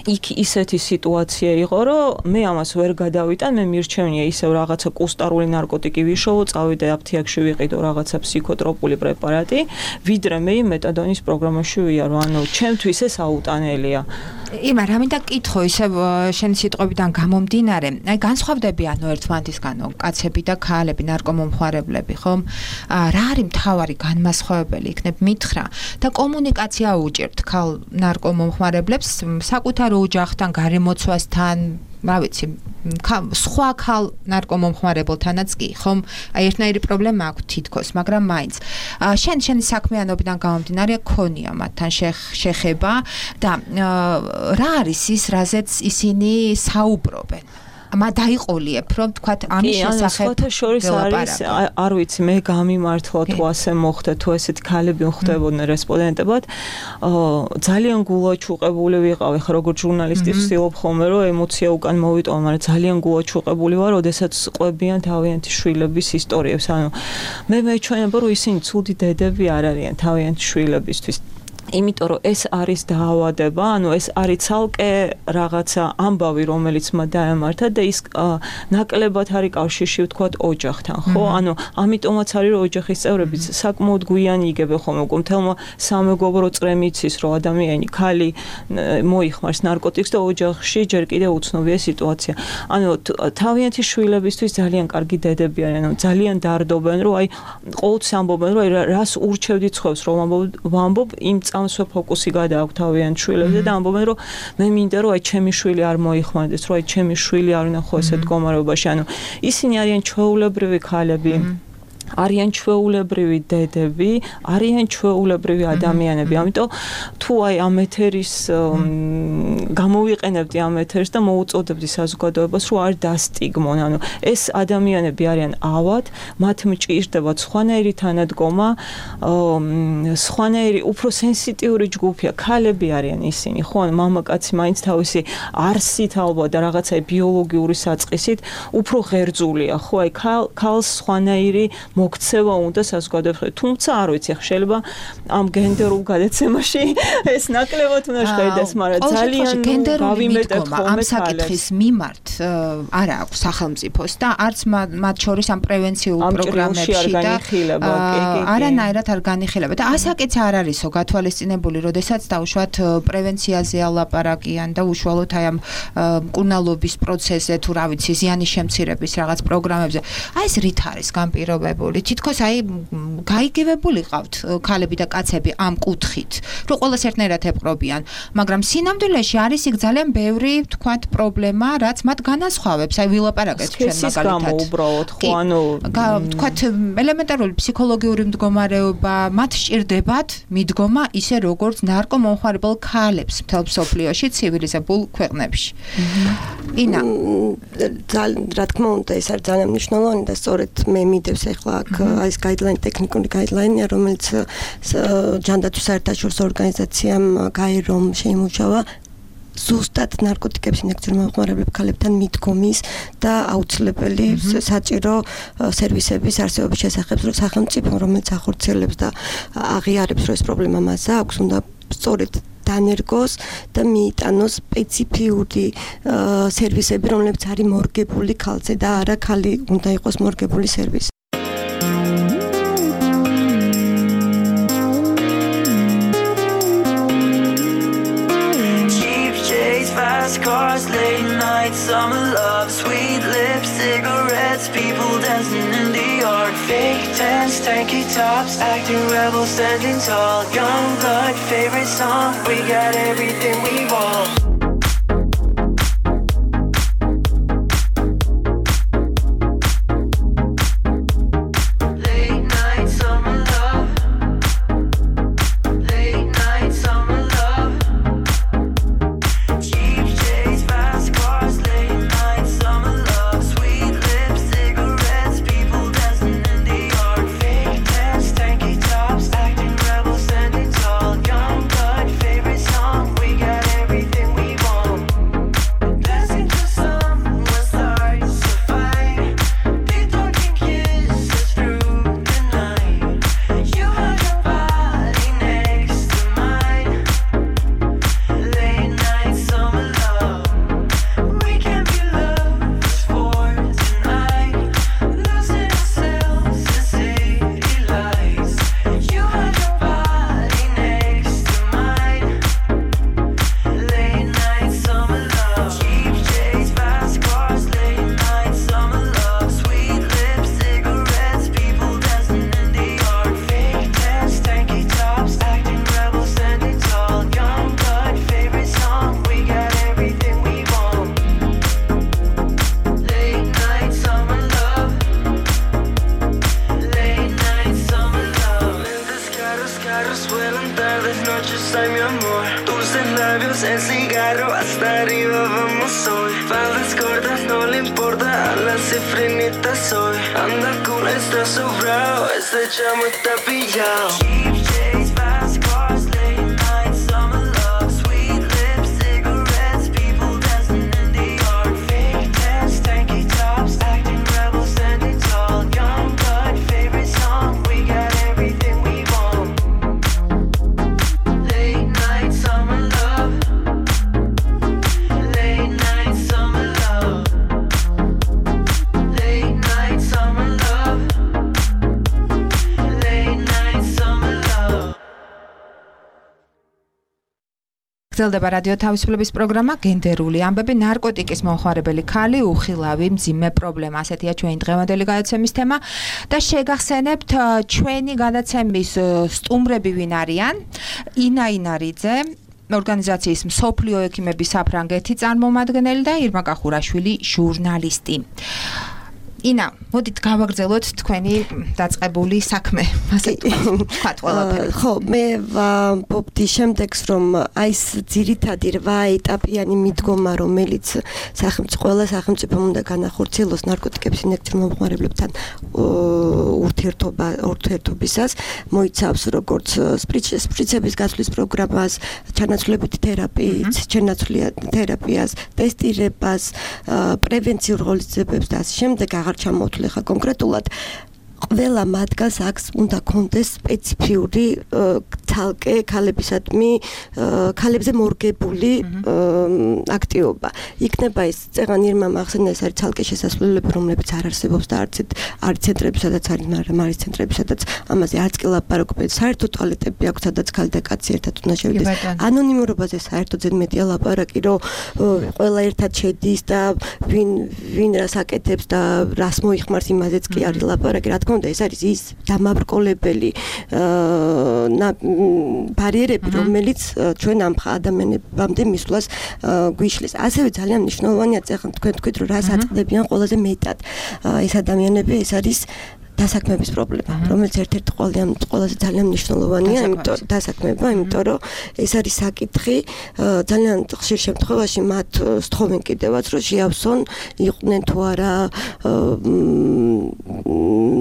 იქ ისეთი სიტუაცია იყო, რომ მე ამას ვერ გადავიტან, მე მირჩევნია ისევ რაღაცა კუსტარული ნარკოტიკი ვიშოვო, წავიდე აფთიაქში ვიყიდო რაღაცა ფსიქოტროპული პრეპარატი, ვიდრე მე პროგრამის პროგრამაში ვიარო, ანუ ჩემთვის ეს აუტანელია. იმა, რამინდა კითხო ისე შენი სიტყვებიდან გამომდინარე, აი განსხვავდებიან ერთმანეთისგანო კაცები და ქალები, ნარკომომხმარებლები, ხომ? რა არის მთავარი განმასხვავებელი იქნებ მითხრა და კომუნიკაცია უჭირთ ქალ ნარკომომხმარებლებს საკუთარ ოჯახთან, გარემოცვასთან, რა ვიცი, სხვა ქალ ნარკომომხმარებელთანაც კი, ხომ? აი ერთნაირი პრობლემა აქვს თითქოს, მაგრამ მაინც. შენ შენი საქმიანობიდან გამომდინარე ქონია მათთან შეხება და რა არის ის, რაზეც ისინი საუბრობენ? მა დაიყოლიებ, რომ თქვათ ამის შესახებ. კი, შორის არის, არ ვიცი, მე გამიმართლა თუ ასე მოხდა, თუ ესეთ ქალები ხდებოდნენ რესპონდენტებად, ძალიან გულაჩუყებული ვიყავი, ხა როგორც ჟურნალისტი ვცდილობ ხოლმე, რომ ემოცია უკან მოვიტოვა, მაგრამ ძალიან გულაჩუყებული ვარ, როდესაც ყვებიან თავიანთი შვილების ისტორიებს. ანუ მე მეჩვენება, რომ ისინი ცუდი დედები არ არიან თავიანთი შვილებისთვის. იმიტომ რომ ეს არის დაავადება, ანუ ეს არის ცალკე რაღაცა ამბავი, რომელიც მათ დაემართა და ის ნაკლებად არის კავშირში ვთქვათ ოჯახთან, ხო? ანუ ამიტომაც არის რომ ოჯახის წევრებიც საკმაოდ გვიანი იგებენ ხოლმე, უკვე მთელმა სამეგობრო წრემ იცის, რომ ადამიანი ქალი მოიხმარს ნარკოტიკს და ოჯახში ჯერ კიდევ უცნობია სიტუაცია. ანუ თავიანთი შვილებისთვის ძალიან კარგი დედები არიან, ანუ ძალიან დარდობენ, რომ აი ყოველთვის ამბობენ, რომ რას ურჩევდი ცხებს, რომ ვამბობ იმ ამსვე ფოკუსი გადააქვთ თავიანთ შვილებზე და ამბობენ რომ მე მინდა რომ აი ჩემი შვილი არ მოიხმარდეს, რომ აი ჩემი შვილი არ ვნახო ესეთ მდგომარეობაში. ანუ ისინი არიან ჩვეულებრივი ქალები, არიან ჩვეულებრივი დედები, არიან ჩვეულებრივი ადამიანები. ამიტომ თუ აი ამ ეთერის გამოვიყენებდი ამ ეთერს და მოუწოდებდი საზოგადოებას, რომ არ დასტიგმონ. ანუ ეს ადამიანები არიან ავად, მათ მჭირდებათ სხვანაირი თანადგომა, სხვანაირი უფრო სენსიტიური ჯგუფია, ქალები არიან ისინი, ხო? მამაკაცი მაინც თავისი არსით ალბათ და რაღაცა ბიოლოგიური საწყისით უფრო ღერძულია, ხო? აი ქალს სხვანაირი მოქცევა უნდა საზოგადოებაში. თუმცა არ ვიცი, შეიძლება ამ გენდერულ გადაცემაში ეს ნაკლებად უნდა შევიდეს, მაგრამ ძალიან გავიმეტებ ხოლმე ამ საკითხის მიმართ არა აქვს სახელმწიფოს და არც მათ შორის ამ პრევენციულ პროგრამებში და არანაირად არ განიხილება. და ასაკიც არ არისო გათვალისწინებული, როდესაც დაუშვათ პრევენციაზეა ლაპარაკიან და უშუალოდ აი ამ მკურნალობის პროცესზე თუ რა ვიცი, ზიანის შემცირების რაღაც პროგრამებზე. აი ეს რით არის განპირობებული? თითქოს აი გაიგივებული ყავთ ქალები და კაცები ამ კუთხით, რომ ყველას ერთნაირად ეპყრობიან, მაგრამ სინამდვილეში არის იქ ძალიან ბევრი თქვათ პრობლემა, რაც მათ განასხვავებს. აი ვილაპარაკეთ ჩვენ მაგალითად. უბრალოდ ხო, ანუ თქვათ ელემენტარული ფსიქოლოგიური მდგომარეობა, მათ სჭირდებათ მიდგომა ისე როგორც ნარკომომხმარებელ ქალებს მთელ მსოფლიოში ცივილიზებულ ქვეყნებში. ინა, რა თქმა უნდა, ეს არის ძალიან მნიშვნელოვანი და სწორედ მე მიდევს ახლა აქ ეს გაიდლაინი, ტექნიკური გაიდლაინია, რომელიც ჯანდაცვის საერთაშორისო ორგანიზაციამ გაირომ შეიმუშავა ზუსტად ნარკოტიკების ინjekციურ მომხმარებლებ ქალებთან მიდგომის და აუცილებელი საჭირო სერვისების არსებობის შესახებ, რომ სახელმწიფო, რომელიც ახორციელებს და აღიარებს, რომ ეს პრობლემა მასა აქვს, უნდა სწორედ დანერგოს და მიიტანოს სპეციფიური სერვისები, რომლებიც არის მორგებული ქალზე და არა ქალი უნდა იყოს მორგებული სერვისი. Cars, late night, summer love, sweet lips, cigarettes, people dancing in the yard. Fake tents, tanky tops, acting rebels, standing tall. Young blood, favorite song, we got everything we want. Cheap shades, amor. Tus labios, el cigarro, hasta arriba vamos hoy. Faldas cortas, no le importa a la cifrinita soy. Anda cool, está sobrado, este chamo está pillado. Cheap days, fast cars, late nights, summer love, sweet lips, cigarettes, people dancing in the yard. Fake tan, stanky tops, acting rebel, standing tall. Young blood, favorite song, we got everything we want. Late night, summer love. Late night, summer love. Late night, summer love. Late night, summer love. გრძელდება რადიო თავისუფლების პროგრამა გენდერული ამბები ნარკოტიკის მომხმარებელი ქალი უხილავი მძიმე პრობლემა ასეთია ჩვენი დღევანდელი გადაცემის თემა და შეგახსენებთ ჩვენი გადაცემის სტუმრები ვინ არიან ინა ინარიძე ორგანიზაციის მსოფლიო ექიმების საფრანგეთი წარმომადგენელი და ირმა კახურაშვილი ჟურნალისტი ინა მოდით გავაგრძელოთ თქვენი დაწყებული საქმე ასე თქვათ ყველაფერი ხო მე ვამბობდი შემდეგს რომ აი ეს ძირითადი რვა ეტაპიანი მიდგომა რომელიც სახელმწიფო ყველა სახელმწიფომ უნდა განახორციელოს ნარკოტიკების ინდექსის მომხმარებლებთან ურთიერთობა ურთიერთობისას მოიცავს როგორც სპრიცების გასვლის პროგრამას ჩანაცვლებითი თერაპიით ჩანაცვლიან თერაპიას ტესტირებას პრევენციურ ღონისძიებებს და ასე შემდეგ აღარ ჩამოვთვლი ხა კონკრეტულად ყველა მათგანს აქვს უნდა კონდეს სპეციფიური თალკე ქალებისადმი ქალებზე მორგებული აქტივობა. იქნება ის წეღან ირმა ახსენა ეს არის თალკე შესასვლელები რომლებიც არ არსებობს და არც არის ცენტრები სადაც არის მაგრამ არის ცენტრები სადაც ამაზე არც კი ლაპარაკობენ საერთო ტუალეტები აქვს სადაც ქალი და კაცი ერთად უნდა შევიდეს. ანონიმურობაზე საერთოდ ზედ მეტია ლაპარაკი რომ ყველა ერთად შედის და ვინ ვინ რას აკეთებს და რას მოიხმარს იმაზეც კი არის ლაპარაკი რა თქმა უნდა ეს არის ის დამაბრკოლებელი ბარიერები რომელიც ჩვენ ამ ადამიანებამდე მისვლას გვიშლის. ასევე ძალიან მნიშვნელოვანია წეხან თქვენ თქვით რომ რას აწყდებიან ყველაზე მეტად ეს ადამიანები ეს არის დასაქმების პრობლემა, რომელიც ერთ-ერთი ყველაზე ძალიან მნიშვნელოვანია, იმიტომ დასაქმება, იმიტომ რომ ეს არის საკითხი ძალიან ხშირ შემთხვევაში მათ სთხოვენ კიდევაც რომ შეავსონ, იყვნენ თუ არა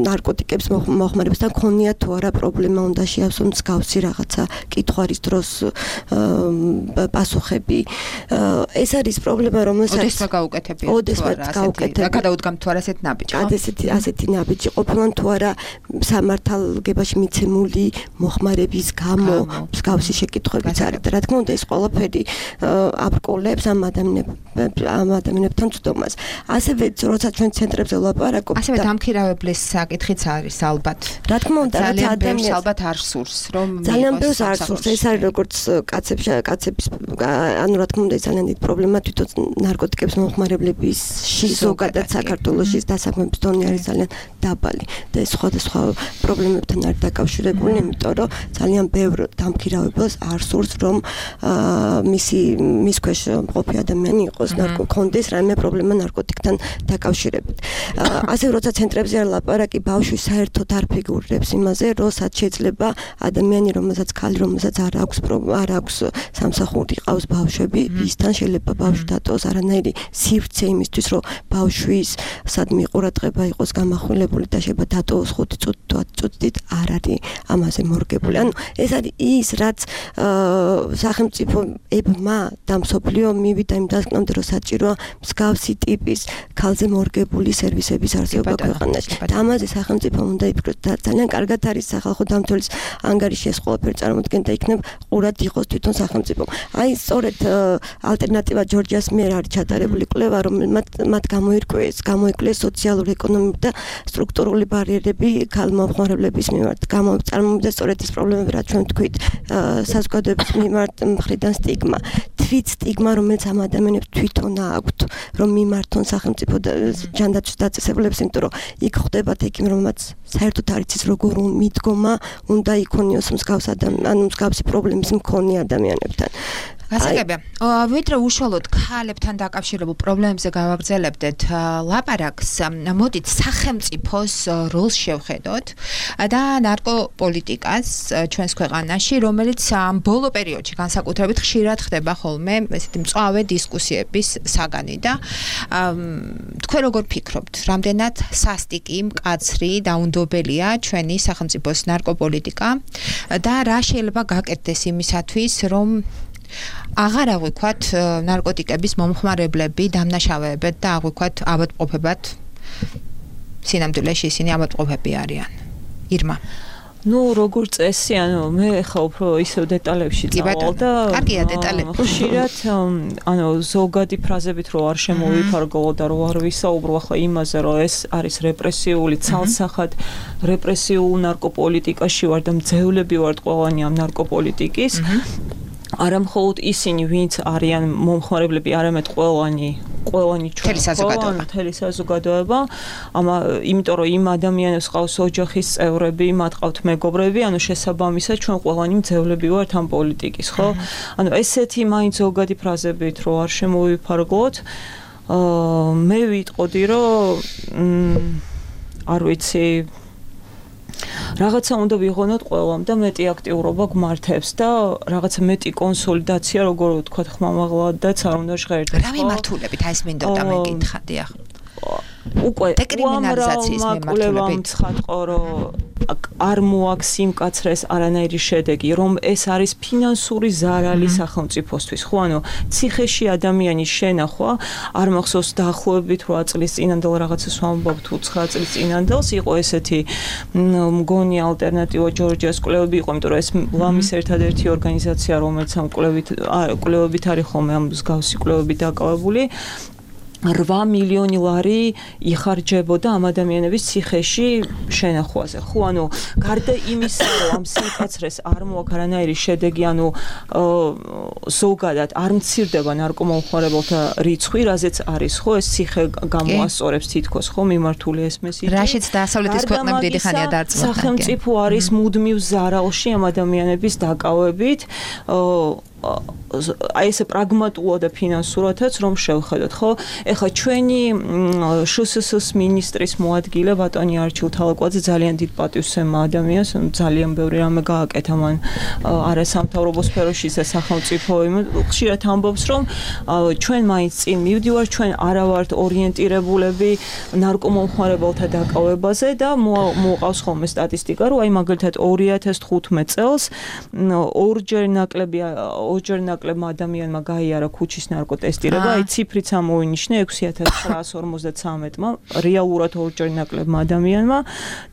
ნარკოტიკების მოხმარებასთან ქონიათ თუ არა პრობლემა უნდა შეავსონ მსგავსი რაღაცა კითხვის დროს პასუხები. ეს არის პრობლემა, რომელსაც ოდესმე გაუკეთებია. ოდესმე გაუკეთებია. და გადაუდგამ თუ არა ასეთ ნაბიჯი. ასეთი ასეთი ნაბიჯი ყოფილა თუ არა სამართალგებაში მიცემული მოხმარების გამო მსგავსი შეკითხვებიც არის და რა თქმა უნდა ეს ყველაფერი აბრკოლებს ამ ადამიანებს ამ ადამიანებთან ცდომას. ასევე როცა ჩვენ ცენტრებზე ვლაპარაკობთ ასევე დამქირავებლის საკითხიც არის ალბათ. რა თქმა უნდა ძალიან ბევრს ალბათ არ სურს რომ ძალიან ბევრს არ სურს ეს არის როგორც კაცებს კაცების ანუ რა თქმა უნდა ეს ძალიან დიდი პრობლემა თვითონ ნარკოტიკების მომხმარებლებში ზოგადად საქართველოში დასაქმების დონე არის ძალიან დაბალი. და სხვადასხვა პრობლემებთან არის დაკავშირებული, იმიტომ რომ ძალიან ბევრ დამქირავებელს არ სურს რომ მისი მის ქვეშ მყოფი ადამიანი იყოს ნარკოკონდეს რაიმე პრობლემა ნარკოტიკთან დაკავშირებით. ასე როცა ცენტრებზე არ ლაპარაკი ბავშვი საერთოდ არ ფიგურირებს იმაზე, რომ სად შეიძლება ადამიანი რომელსაც ქალი რომელსაც არ აქვს არ აქვს სამსახური ყავს ბავშვები, ისთან შეიძლება ბავშვი დატოვოს არანაირი სივრცე იმისთვის რომ ბავშვის სადმე ყურადღება იყოს გამახვილებული და შეიძლება დატოვოს ხუთი წუთი თუ ათი წუთით არ არის ამაზე მორგებული. ანუ ეს არის ის რაც სახელმწიფოებმა და მსოფლიო მივიდა იმ დასკვნამდე რომ საჭიროა მსგავსი ტიპის ქალზე მორგებული სერვისების არსებობა ქვეყანაში. და ამაზე სახელმწიფომ უნდა იფიქროს და ძალიან კარგად არის სახალხო დამცველის ანგარიში ეს ყველაფერი წარმოდგენ და იქნებ ყურად იყოს თვითონ სახელმწიფომ. აი სწორედ ალტერნატივა ჯორჯიას მიერ არის ჩატარებული კვლევა რომელმაც მათ გამოირკვეს გამოიკვლიეს სოციალური ეკონომიკური და სტრუქტურული ბარიერები ქალ მომხმარებლების მიმართ. წარმოვიდგინეთ სწორედ ეს პრობლემები რაც ჩვენ თქვით საზოგადოების მიმართ მხრიდან სტიგმა. თვით სტიგმა რომელიც ამ ადამიანებს თვითონ აქვთ რომ მიმართონ სახელმწიფო ჯანდაცვის დაწესებულებას, იმიტომ რომ იქ ხდებათ ექიმი რომელმაც საერთოდ არ იცის როგორ მიდგომა უნდა იქონიოს მსგავს ანუ მსგავსი პრობლემის მქონე ადამიანებთან. გასაგებია. ვიდრე უშუალოდ ქალებთან დაკავშირებულ პრობლემებზე გავაგრძელებდეთ ლაპარაკს, მოდით სახელმწიფოს როლს შევხედოთ და ნარკოპოლიტიკას ჩვენს ქვეყანაში, რომელიც ამ ბოლო პერიოდში განსაკუთრებით ხშირად ხდება ხოლმე ესეთი მწვავე დისკუსიების საგანი და თქვენ როგორ ფიქრობთ, რამდენად სასტიკი, მკაცრი და უნდობელია ჩვენი სახელმწიფოს ნარკოპოლიტიკა და რა შეიძლება გაკეთდეს იმისათვის, რომ აღარ აღვიქვათ ნარკოტიკების მომხმარებლები დამნაშავეებად და აღვიქვათ ავადმყოფებად სინამდვილეში ისინი ავადმყოფები არიან. ირმა ну როგორ წესი, ანუ მე ხა უფრო ისევ დეტალებში წავალ და კარგია დეტალები. ხშირად ანუ ზოგადი ფრაზებით რო არ შემოვიფარგლო და რო არ ვისაუბრო ახლა იმაზე, რომ ეს არის რეპრესიული ცალსახად რეპრესიულ ნარკოპოლიტიკაში ვარ და მძევლები ვართ ყველანი ამ ნარკოპოლიტიკის. არა მხოლოდ ისინი, ვინც არიან მომხმარებლები, არამედ ყველანი ყველანი ჩვენ მთელი საზოგადოება, ამა იმიტომ რომ იმ ადამიანებს ყავს ოჯახის წევრები, მათ ყავთ მეგობრები, ანუ შესაბამისად ჩვენ ყველანი მძევლები ვართ ამ პოლიტიკის, ხო? ანუ ესეთი მაინც ზოგადი ფრაზებით რო არ შემოვიფარგლოთ, აა მე ვიტყოდი რომ არ ვიცი რაღაცა უნდა ვიღონოთ ყველამ და მეტი აქტიურობა გმართებს და რაღაცა მეტი კონსოლიდაცია, როგორ ვთქვათ, ხმამაღლად და არ უნდა ჟღერდეს. რა მიმართულებით აი ეს მინდოდა მეკითხა, დიახ. უკვე დეკრიმინალიზაციის მიმართულებით ცხადყო, რომ არ მოაქვს სიმკაცრეს არანაირი შედეგი, რომ ეს არის ფინანსური ზარალი სახელმწიფოსთვის. ხო, ანუ ციხეში ადამიანის შენახვა, არ მახსოვს დაახლოებით რვა წლის წინანდელ რაღაცას ვამბობ თუ ცხრა წლის წინანდელს იყო ესეთი მგონი ალტერნატივა ჯორჯიას კვლევები იყო, იმიტომ რომ ეს ლამის ერთადერთი ორგანიზაცია, რომელიც ამ კვლევით კვლევებით არის ხოლმე ამ მსგავსი კვლევები დაკავებული. რვა მილიონი ლარი იხარჯებოდა ამ ადამიანების ციხეში შენახვაზე. ხო, ანუ გარდა იმისა, რომ ამ სიმკაცრეს არ მოაქვს არანაირი შედეგი, ანუ ზოგადად არ მცირდება ნარკომომხმარებელთა რიცხვი, რაზეც არის, ხო, ეს ციხე გამოასწორებს თითქოს, ხო, მიმართული ეს მესიჯი. რაშიც დასავლეთის ქვეყნები დიდი ხანია დარწმუნებული. სახელმწიფო არის მუდმივ ზარალში ამ ადამიანების დაკავებით. აი ესე პრაგმატულად და ფინანსურათაც რომ შევხედოთ, ხო? ეხლა ჩვენი შსს მინისტრის მოადგილე ბატონი არჩილ თალაკვაძე ძალიან დიდ პატივსცემა ადამიანს, ძალიან ბევრი რამე გააკეთა მან არასამთავრობო სფეროში და სახელმწიფო ხშირად ამბობს, რომ ჩვენ მაინც წინ მივდივართ, ჩვენ არა ვართ ორიენტირებულები ნარკომომხმარებელთა დაკავებაზე და მოყავს ხოლმე სტატისტიკა, რომ აი მაგალითად ორი ათას თხუთმეტ წელს ორჯერ ნაკლები ორჯერ ნაკლებმა ადამიანმა გაიარა ქუჩის ნარკოტესტირება, აი ციფრიც ამოვინიშნე ექვსი ათას ცხრაას ორმოცდათრამეტმა რეალურად ორჯერ ნაკლებმა ადამიანმა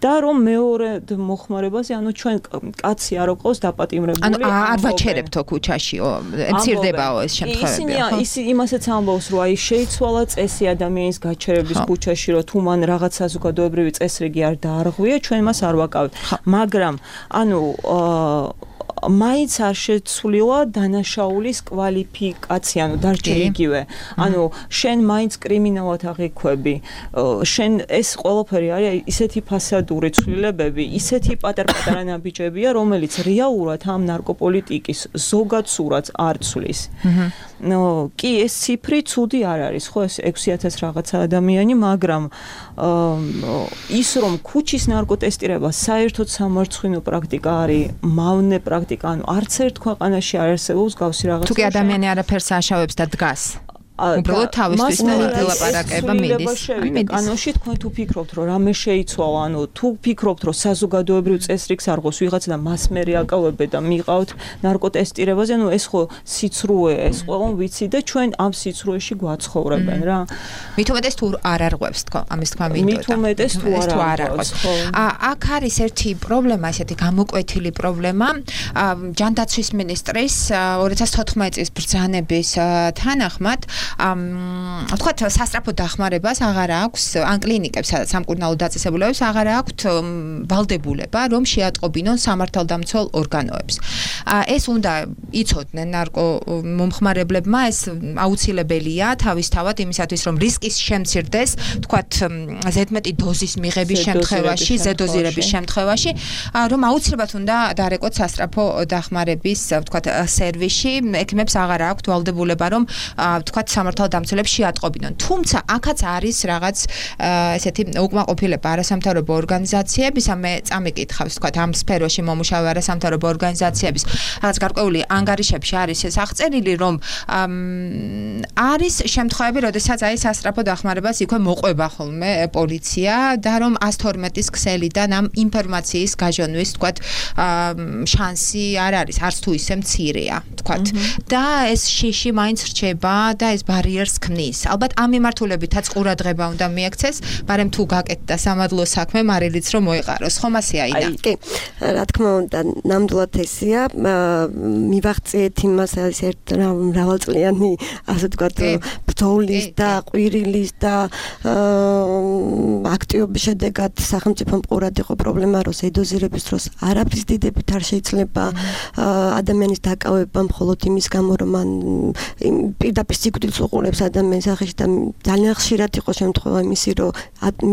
და რომ მეორე მოხმარებაზე, ანუ ჩვენ კაცი არ ყავს დაპატიმრებული. ანუ არ ვაჩერებთო ქუჩაშიო, მცირდებაო ეს შემთხვევები. ისინი იმასაც ამბობს, რომ აი შეიცვალა წესი ადამიანის გაჩერების ქუჩაში, რომ თუ მან რაღაც საზოგადოებრივი წესრიგი არ დაარღვია, ჩვენ მას არ ვაკავებთ. მაგრამ ანუ მაინც არ შეცვლილა დანაშაულის კვალიფიკაცია, ანუ დარჩა იგივე. ანუ შენ მაინც კრიმინალად აღიქვები. შენ ეს ყველაფერი არის ისეთი ფასადური ცვლილებები, ისეთი პატარ-პატარა ნაბიჯებია, რომელიც რეალურად ამ ნარკოპოლიტიკის ზოგად სურათს არ ცვლის. ნო, კი ეს ციფრი ცუდი არ არის, ხო, ეს ექვსი ათას რაღაცა ადამიანი, მაგრამ ის რომ ქუჩის ნარკოტესტირება საერთოდ სამარცხვინო პრაქტიკა არის, მავნე პრაქტიკა, ანუ არც ერთ ქვეყანაში არ არსებობს გავსი რაღაცა. თუ კი ადამიანი არაფერს აშავებს და დგას. უბრალოდ თავისთვის ვილაპარაკება მიდის. კანონში თქვენ თუ ფიქრობთ, რომ რამე შეიცვალა, ანუ თუ ფიქრობთ, რომ საზოგადოებრივ წესრიგს არ ღოს ვიღაცა და მას მერე აკავებდა და მიყავთ ნარკოტესტირებაზე, ანუ ეს ხო სიცრუე, ეს ყველამ ვიცი და ჩვენ ამ სიცრუეში გვაცხოვრებენ რა. მით უმეტეს თუ არ არღვევს თქო, ამის თქვა მინდოდა. მით უმეტეს თუ არ არღვევს. აქ არის ერთი პრობლემა, ესეთი გამოკვეთილი პრობლემა. ჯანდაცვის მინისტრის ორი ათას თოთხმეტი წლის ბრძანების თანახმად ვთქვათ, სასწრაფო დახმარებას აღარ აქვს ან კლინიკებს, სადაც სამკურნალო დაწესებულებებს აღარ აქვთ ვალდებულება, რომ შეატყობინონ სამართალდამცველ ორგანოებს. ეს უნდა იცოდნენ ნარკო მომხმარებლებმა, ეს აუცილებელია თავისთავად იმისათვის, რომ რისკის შემცირდეს, ვთქვათ, ზედმეტი დოზის მიღების შემთხვევაში, ზედოზირების შემთხვევაში, რომ აუცილებლად უნდა დარეკოთ სასწრაფო დახმარების, ვთქვათ, სერვისში, ექიმებს აღარ აქვთ ვალდებულება, რომ ვთქვათ, სამართალდამცველებს შეატყობინონ. თუმცა აქაც არის რაღაც ესეთი უკმაყოფილება არასამთავრობო ორგანიზაციებისა, მე წამიკითხავს, ვთქვათ, ამ სფეროში მომუშავე არასამთავრობო ორგანიზაციების რაღაც გარკვეული ანგარიშებში არის ეს აღწერილი, რომ არის შემთხვევები, როდესაც აი სასწრაფო დახმარებას იქვე მოყვება ხოლმე პოლიცია და რომ ას თორმეტის ქსელიდან ამ ინფორმაციის გაჟონვის, ვთქვათ, შანსი არ არის, არც თუ ისე მცირეა, ვთქვათ. და ეს შიში მაინც რჩება და ეს ბარიერს ქმნის. ალბათ ამ მიმართულებითაც ყურადღება უნდა მიექცეს, მაგრამ თუ გაკეთდა სამადლო საქმე, მარილიც რომ მოეყაროს, ხომ ასეა ინა? კი, რა თქმა უნდა, ნამდვილად ესეა. მივაღწიეთ იმას, არის ერთ მრავალწლიანი, ასე ვთქვათ, ბრძოლის და ყვირილის და აქტივობის შედეგად სახელმწიფომ ყურად იყო პრობლემა, რომ ზედოზირების დროს არაფრის დიდებით არ შეიძლება ადამიანის დაკავება მხოლოდ იმის გამო, რომ მან პირდაპირ სიკვდილს უყურებს ადამიანის სახეში და ძალიან ხშირად იყო შემთხვევა იმისი, რომ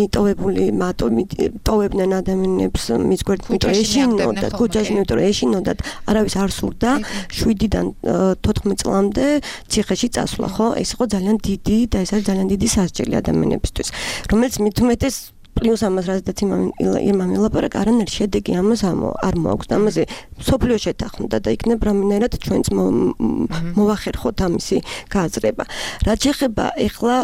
მიტოვებული მიტოვებდნენ ადამიანებს მის გვერდით ეშინოდა, ქუჩაში იმიტომ რომ ეშინოდათ, არავის არ სურდა შვიდიდან თოთხმეტ წლამდე ციხეში წასვლა, ხო? ეს იყო ძალიან დიდი და ეს არის ძალიან დიდი სასჯელი ადამიანებისთვის, რომელიც მით უმეტეს პლუს ამას რაზეც იმამ ელაპარაკა, არანაირი შედეგი ამას არ მოაქვს. ამაზე სოფლიო შეთანხმდა და იქნებ რამენერად ჩვენც მოვახერხოთ ამისი გააზრება. რაც შეეხება ეხლა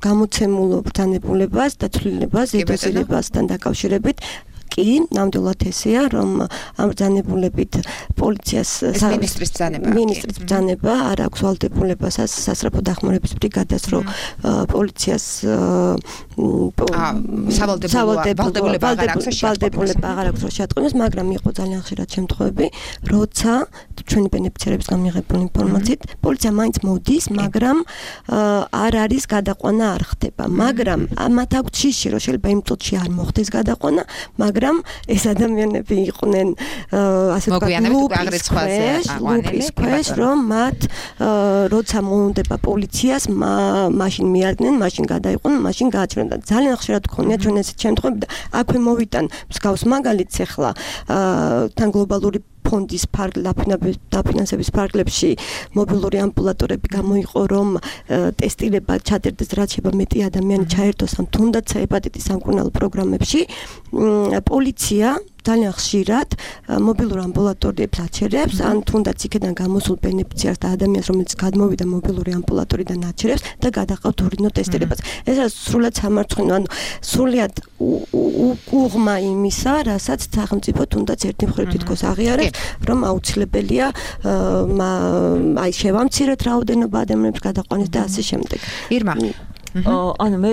გამოცემულ ბრძანებულებას და ცვლილებას, ზედოზირებასთან დაკავშირებით, კი, ნამდვილად ესეა, რომ ამ ბრძანებულებით პოლიციას მინისტრის ბრძანება მინისტრის ბრძანება არ აქვს ვალდებულება სასწრაფო დახმარების ბრიგადას, რომ პოლიციას ვალდებულება აღარ აქვს რომ შეატყობინოს, მაგრამ იყო ძალიან ხშირად შემთხვევები, როცა ჩვენი ბენეფიციარების გამიღებული ინფორმაციით პოლიცია მაინც მოდის, მაგრამ არ არის გადაყვანა არ ხდება, მაგრამ მათ აქვს შიში, რომ შეიძლება იმ წუთში არ მოხდეს გადაყვანა, მაგრამ ეს ადამიანები იყვნენ ასე ვთქვათ ლუპის ქვეშ, რომ მათ როცა მოუნდება პოლიციას, მაშინ მიადგნენ, მაშინ გადაიყვნენ, მაშინ გააჩერდნენ და ძალიან ხშირად გქონია ჩვენ ესეთ შემთხვევები და აქვე მოვიტან მსგავს მაგალითს ახლა თან გლობალური ფონდის დაფინანსების ფარგლებში მობილური ამბულატორები გამოიყო, რომ ტესტირება ჩადერდეს, რაც შეიძლება მეტი ადამიანი ჩაერთოს ამ თუნდაც ჰეპატიტის სამკურნალო პროგრამებში. პოლიცია ძალიან ხშირად მობილურ ამბულატორიებს აჩერებს, ან თუნდაც იქიდან გამოსულ ბენეფიციარს და ადამიანს, რომელიც გადმოვიდა მობილური ამბულატორიდან აჩერებს და გადაყავთ ურინო ტესტირებას. ეს არის სრულად სამარცხვინო, ანუ სრულად უღმა იმისა, რასაც სახელმწიფო თუნდაც ერთი მხრივ თითქოს აღიარებს, რომ აუცილებელია აი შევამცირეთ რაოდენობა ადამიანებს გადაყვანის და ასე შემდეგ. ირმა ანუ მე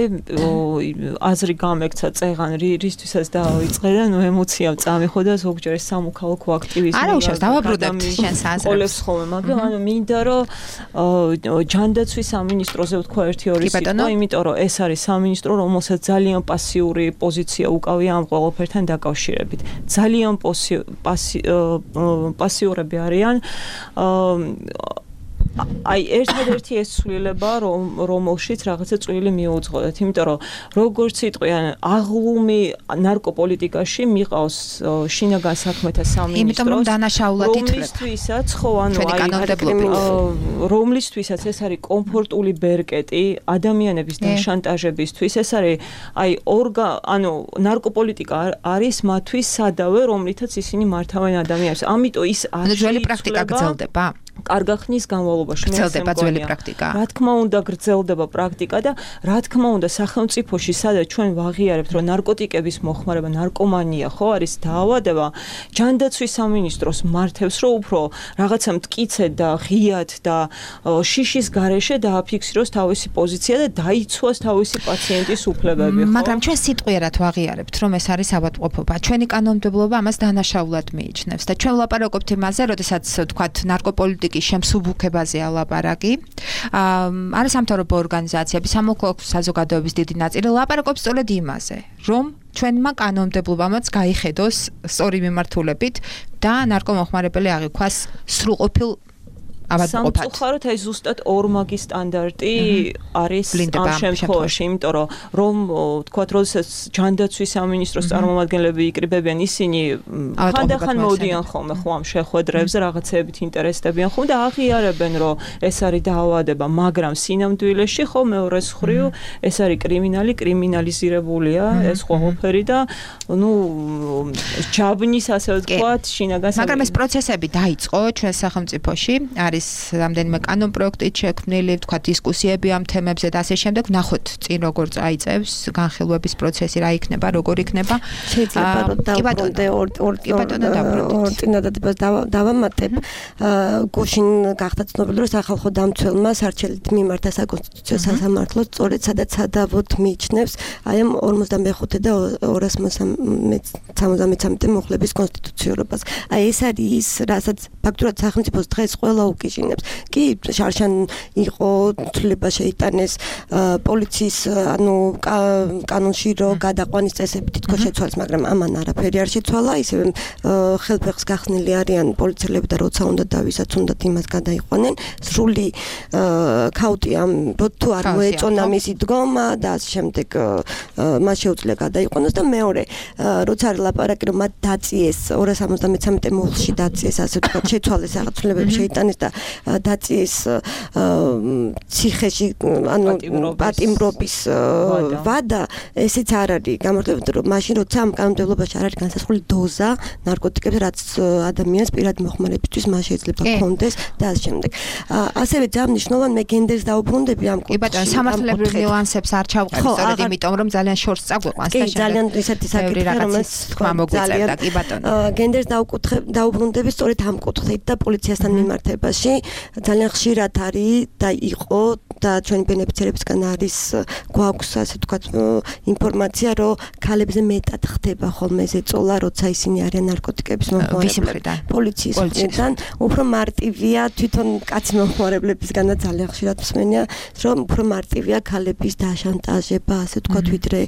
აზრი გამექცა წეღან რისთვისაც დავიწყე და ნუ ემოციამ წამიხო და ზოგჯერ სამოქალაქო აქტივიზმი არა უშავს დავაბრუნებთ შენს აზრებს ყოლებს ხოლმე მაგრამ ანუ მინდა რომ ჯანდაცვის სამინისტროზე ვთქვა ერთი ორი სიტყვა იმიტომ რომ ეს არის სამინისტრო რომელსაც ძალიან პასიური პოზიცია უკავია ამ ყველაფერთან დაკავშირებით ძალიან პასიურები არიან აი ერთადერთი ეს ცვლილება რომ რომელშიც რაღაცა წვლილი მიუძღოდეთ იმიტომ რომ როგორც იტყვიან აღლუმი ნარკოპოლიტიკაში მიყავს შინაგან საქმეთა სამინისტროს იმიტომ რომ დანაშაულად ითვლება რომლისთვისაც ხო ანუ აი რომლისთვისაც ეს არის კომფორტული ბერკეტი ადამიანების დაშანტაჟებისთვის ეს არის აი ორგა ანუ ნარკოპოლიტიკა არის მათთვის სადავე რომლითაც ისინი მართავენ ადამიანებს ამიტომ ის არის ძველი პრაქტიკა გრძელდება კარგა ხნის განმავლობაში გრძელდება ძველი პრაქტიკა. რა თქმა უნდა გრძელდება პრაქტიკა და რა თქმა უნდა სახელმწიფოში სადაც ჩვენ ვაღიარებთ რომ ნარკოტიკების მოხმარება, ნარკომანია ხო არის დაავადება, ჯანდაცვის სამინისტროს მართებს რომ უფრო რაღაცა მტკიცედ და ღიად და შიშის გარეშე დააფიქსიროს თავისი პოზიცია და დაიცვას თავისი პაციენტის უფლებები, ხო? მაგრამ ჩვენ სიტყვიერად ვაღიარებთ რომ ეს არის ავადმყოფობა. ჩვენი კანონმდებლობა ამას დანაშაულად მიიჩნევს და ჩვენ ვლაპარაკობთ იმაზე, როდესაც თქვათ ნარკოპოლიტიკა პუბლიკის შემსუბუქებაზეა ლაპარაკი. არის სამთავრობო ორგანიზაციები, სამოქალაქო საზოგადოების დიდი ნაწილი ლაპარაკობს სწორედ იმაზე, რომ ჩვენმა კანონმდებლობამაც გაიხედოს სწორი მიმართულებით და ნარკომოხმარებელი აღიქვას სრულყოფილ ავადმყოფად. სამწუხაროდ აი ზუსტად ორმაგი სტანდარტი არის ამ შემთხვევაში, იმიტომ რომ რომ თქვათ, როდესაც ჯანდაცვის სამინისტროს წარმომადგენლები იკრიბებიან, ისინი ხანდახან მოდიან ხოლმე ხო ამ შეხვედრებზე, რაღაცეებით ინტერესდებიან ხოლმე და აღიარებენ, რომ ეს არის დაავადება, მაგრამ სინამდვილეში ხო მეორეს მხრივ ეს არის კრიმინალი, კრიმინალიზირებულია ეს ყველაფერი და ნუ ჯაბნის ასე ვთქვათ, შინაგან მაგრამ ეს პროცესები დაიწყო ჩვენ სახელმწიფოში, არის რამდენიმე კანონ პროექტით შექმნილი, თქვა დისკუსიები ამ თემებზე და ასე შემდეგ. ნახოთ წინ როგორ წაიწევს განხილვების პროცესი, რა იქნება, როგორ იქნება. შეიძლება რომ დავბრუნდე ორ ორ ორ წინადადებას დავამატებ. გუშინ გახდა ცნობილი, რომ სახალხო დამცველმა სარჩელით მიმართა საკონსტიტუციო სასამართლოს, სწორედ სადაც სადავოდ მიიჩნევს აი ამ ორმოცდამეხუთე და ორას სამოცდამეცამეტე მუხლების კონსტიტუციურობას. აი ეს არის ის, რასაც ფაქტურად სახელმწიფოს დღეს ყველა უკიჟინებს. კი, შარშან იყო ცვლილება შეიტანეს პოლიციის ანუ კანონში რომ გადაყვანის წესები თითქოს შეცვალეს, მაგრამ ამან არაფერი არ შეცვალა, ისევ ხელფეხს გახსნილი არიან პოლიციელები და როცა უნდა და ვისაც უნდა იმას გადაიყვანენ. სრული ქაუტი ამ თუ არ მოეწონა მისი დგომა და ასე შემდეგ მას შეუძლია გადაიყვანოს და მეორე როცა არის ლაპარაკი რომ მათ დაწიეს ორას სამოცდამეცამეტე მუხლში დაწიეს ასე ვთქვათ შეცვალეს რაღაც ცვლილებები შეიტანეს და დაწიეს ციხეში ანუ პატიმრობის ვადა ესეც არ არის გამართლებული რომ მაშინ როცა ამ კანონმდებლობაში არ არის განსაზღვრული დოზა ნარკოტიკებს რაც ადამიანს პირად მოხმარებისთვის მას შეიძლება ჰქონდეს და ასე შემდეგ. ასევე ძალიან მნიშვნელოვანი მე გენდერს დაუბრუნდები ამ კუთხეში. კი ბატონო, სამართლებრივ ნიუანსებს არ ჩავყევ სწორედ იმიტომ რომ ძალიან შორს წაგვიყვანს და ძალიან ისეთი საკითხია რომელიც თქვა მოგვიწერდა კი ბატონო. გენდერს დაუკუთხე დაუბრუნდები სწორედ ამ კუთხით და პოლიციასთან მიმართებაში ძალიან ხშირად არის და იყო და ჩვენი ბენეფიციარებისგან არის გვაქვს ასე ვთქვათ ინფორმაცია რომ ქალებზე მეტად ხდება ხოლმე ზეწოლა როცა ისინი არიან ნარკოტიკების მომხმარებლები. პოლიციის მხრიდან უფრო მარტივია თვითონ კაცი მომხმარებლებისგანაც ძალიან ხშირად მსმენია რომ უფრო მარტივია ქალების დაშანტაჟება ასე ვთქვათ ვიდრე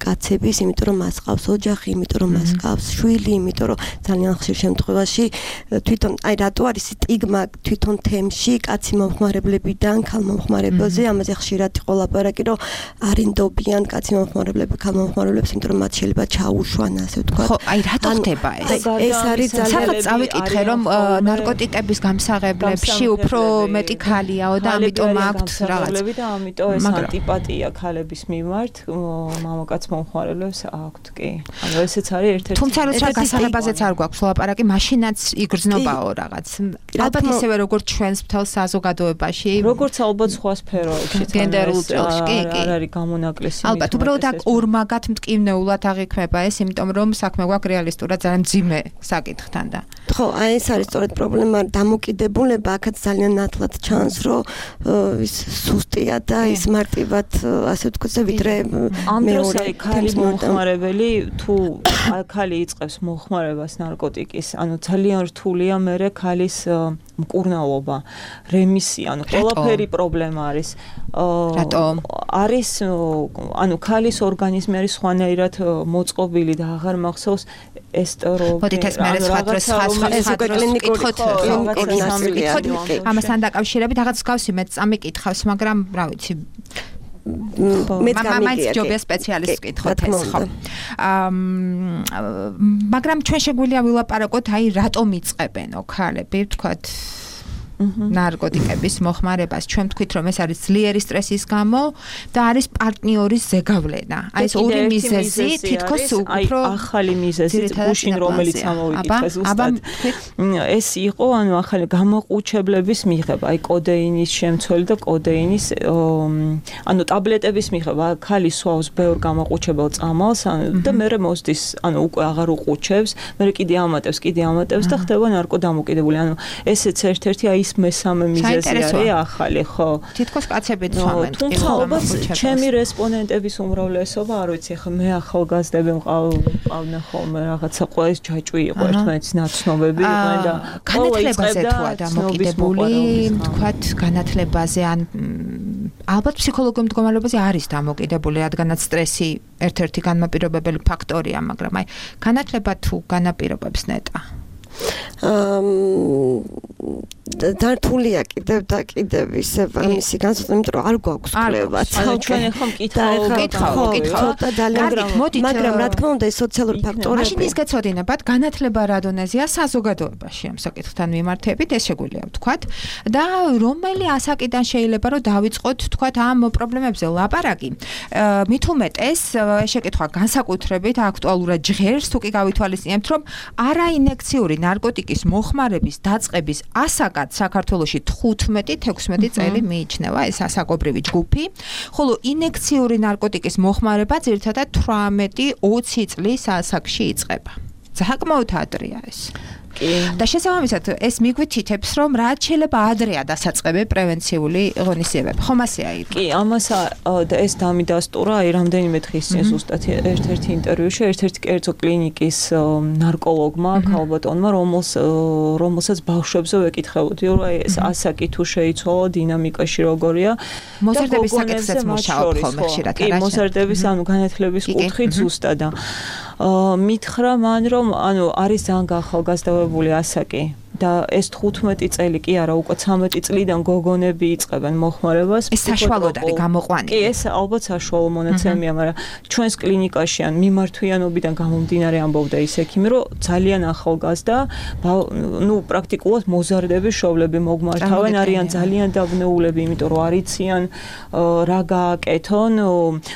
კაცების, იმიტომ რომ მას ყავს ოჯახი, იმიტომ რომ მას ყავს შვილი, იმიტომ რომ ძალიან ხშირ შემთხვევაში თვითონ აი რატო არის სტიგმა თვითონ თემში კაცი მომხმარებლებიდან ქალ მომხმარებელზე, ამაზე ხშირად იყო ლაპარაკი, რომ არინდობიან კაცი მომხმარებლები ქალ მომხმარებლებს, იმიტომ რომ მათ შეიძლება ჩაუშვან, ასე ვთქვათ. ხო, აი რატო ხდება ეს? ეს არის ძალიან წავიკითხე, რომ ნარკოტიკების გამსაღებლებში უფრო მეტი ქალიაო და ამიტომ აქვთ რაღაც და ამიტომ ეს ანტიპატია ქალების მიმართ მამაკაც მომხმარებლებს აქვთ, კი. ანუ ესეც არის ერთ-ერთი. თუმცა როცა გასაღებაზეც არ გვაქვს ლაპარაკი, მაშინაც იგრძნობაო რაღაც. ალბათ ისევე როგორც ჩვენს მთელ საზოგადოებაში, როგორც ალბათ სხვა სფეროებში, გენდერულ წელში, კი, კი. არ არის გამონაკლისი. ალბათ უბრალოდ აქ ორმაგად მტკივნეულად აღიქმება ეს, იმიტომ რომ საქმე გვაქვს რეალისტურად ძალიან მძიმე საკითხთან და. ხო, აი ეს არის სწორედ პრობლემა, დამოკიდებულება აქაც ძალიან ნათლად ჩანს, რომ ის სუსტია და ის მარტივად ასე ვთქვათ, ვიდრე ამ დროს აი ქალის მომხმარებელი თუ ქალი იწყებს მომხმარებას ნარკოტიკის, ანუ ძალიან რთულია მერე ქალის მკურნალობა, რემისია, ანუ ყველაფერი პრობლემა არის. რატომ? არის ანუ ქალის ორგანიზმი არის სხვანაირად მოწყობილი და აღარ მახსოვს ესტეროგი. მოდით ეს მე სხვა დროს სხვა სხვა კითხოთ ამასთან დაკავშირებით რაღაც გავსი მეც წამიკითხავს, მაგრამ რა ვიცი მეც გამიგია ჯობია სპეციალისტს ვკითხოთ ეს ხო. მაგრამ ჩვენ შეგვიძლია ვილაპარაკოთ აი რატომ იწყებენო ქალები ვთქვათ ნარკოტიკების მოხმარებას. ჩვენ ვთქვით რომ ეს არის ძლიერი სტრესის გამო და არის პარტნიორის ზეგავლენა. აი ეს ორი მიზეზი თითქოს უფრო ახალი მიზეზი გუშინ რომელიც ამოვიკითხეს ზუსტად. ეს იყო ანუ ახალი გამოყუჩებლების მიღება, აი კოდეინის შემცველი და კოდეინის ანუ ტაბლეტების მიღება. ქალი სვავს ბევრ გამოყუჩებელ წამალს და მერე მოსდის, ანუ უკვე აღარ უყუჩებს, მერე კიდე ამატებს, კიდე ამატებს და ხდება ნარკოდამოკიდებული. ანუ ესეც ერთ-ერთი აი ის მესამე მიზეზი არის ახალი, ხო? თითქოს კაცებიც სვამენ. თუმცა ალბათ ჩემი რესპონდენტების უმრავლესობა, არ ვიცი, ხა მე ახალგაზრდები მყავდნენ ხოლმე რაღაცა ყოველს ჯაჭვი იყო ერთმანეთის ნაცნობები იყვნენ და განათლებაზე თუ არა მოკიდებული, თქვათ განათლებაზე ან ალბათ ფსიქოლოგიურ მდგომარეობაზე არის დამოკიდებული, რადგანაც სტრესი ერთ-ერთი განმაპირობებელი ფაქტორია, მაგრამ აი განათლება თუ განაპირობებს ნეტა. დართულია კიდევ და კიდევ ისე ამისი განსხვავება, იმიტომ რომ არ გვაქვს კვლევა. ჩვენ ახლა მკითხავთ, მაგრამ რა თქმა უნდა, ეს სოციალური ფაქტორები. მაშინ ის გეცოდინებათ, განათლება რა დონეზეა საზოგადოებაში ამ საკითხთან მიმართებით, ეს შეგვიძლია ვთქვათ, და რომელი ასაკიდან შეიძლება რომ დავიწყოთ, ვთქვათ, ამ პრობლემებზე ლაპარაკი. მით უმეტეს, შეკითხვა განსაკუთრებით აქტუალურად ჟღერს, თუ კი გავითვალისწინებთ, რომ არაინექციური ნარკოტიკის მოხმარების დაწყების ასაკად საქართველოში თხუთმეტი თექვსმეტი წელი მიიჩნევა ეს ასაკობრივი ჯგუფი, ხოლო ინექციური ნარკოტიკის მოხმარება ძირითადად თვრამეტი ოცი წლის ასაკში იწყება. საკმაოდ ადრეა ეს. და შესაბამისად ეს მიგვითითებს, რომ რაც შეიძლება ადრეა დასაწყები პრევენციული ღონისძიებები. ხომ ასეა ირმა? კი, ამას და ეს დამიდასტურა აი რამდენიმე დღის წინ ზუსტად ერთ-ერთი ინტერვიუში ერთ-ერთი კერძო კლინიკის ნარკოლოგმა, ქალბატონმა, რომელს რომელსაც ბავშვებზე ვეკითხებოდი, რომ აი ეს ասაკი თუ შეიცვალა, დინამიკაში როგორია. მოზარდების საკითხზეც მუშაობ ხოლმე ხშირად, არა? კი, მოზარდების ანუ განათლების კუთხით ზუსტად. მითხრა მან, რომ ანუ არის ძალიან გაახალგაზრდებული ასაკი და ეს თხუთმეტი წელი კი არა, უკვე ცამეტი წლიდან გოგონები იწყებენ მოხმარებას. ეს საშუალოდ არის გამოყვანილი. კი, ეს ალბათ საშუალო მონაცემია, მაგრამ ჩვენს კლინიკაში ან მიმართვიანობიდან გამომდინარე ამბობდა ის ექიმი, რომ ძალიან ახალგაზრდა, ნუ პრაქტიკულად მოზარდების შოვლები მოგმართავენ, არიან ძალიან დაბნეულები, იმიტომ რომ არ იციან რა გააკეთონ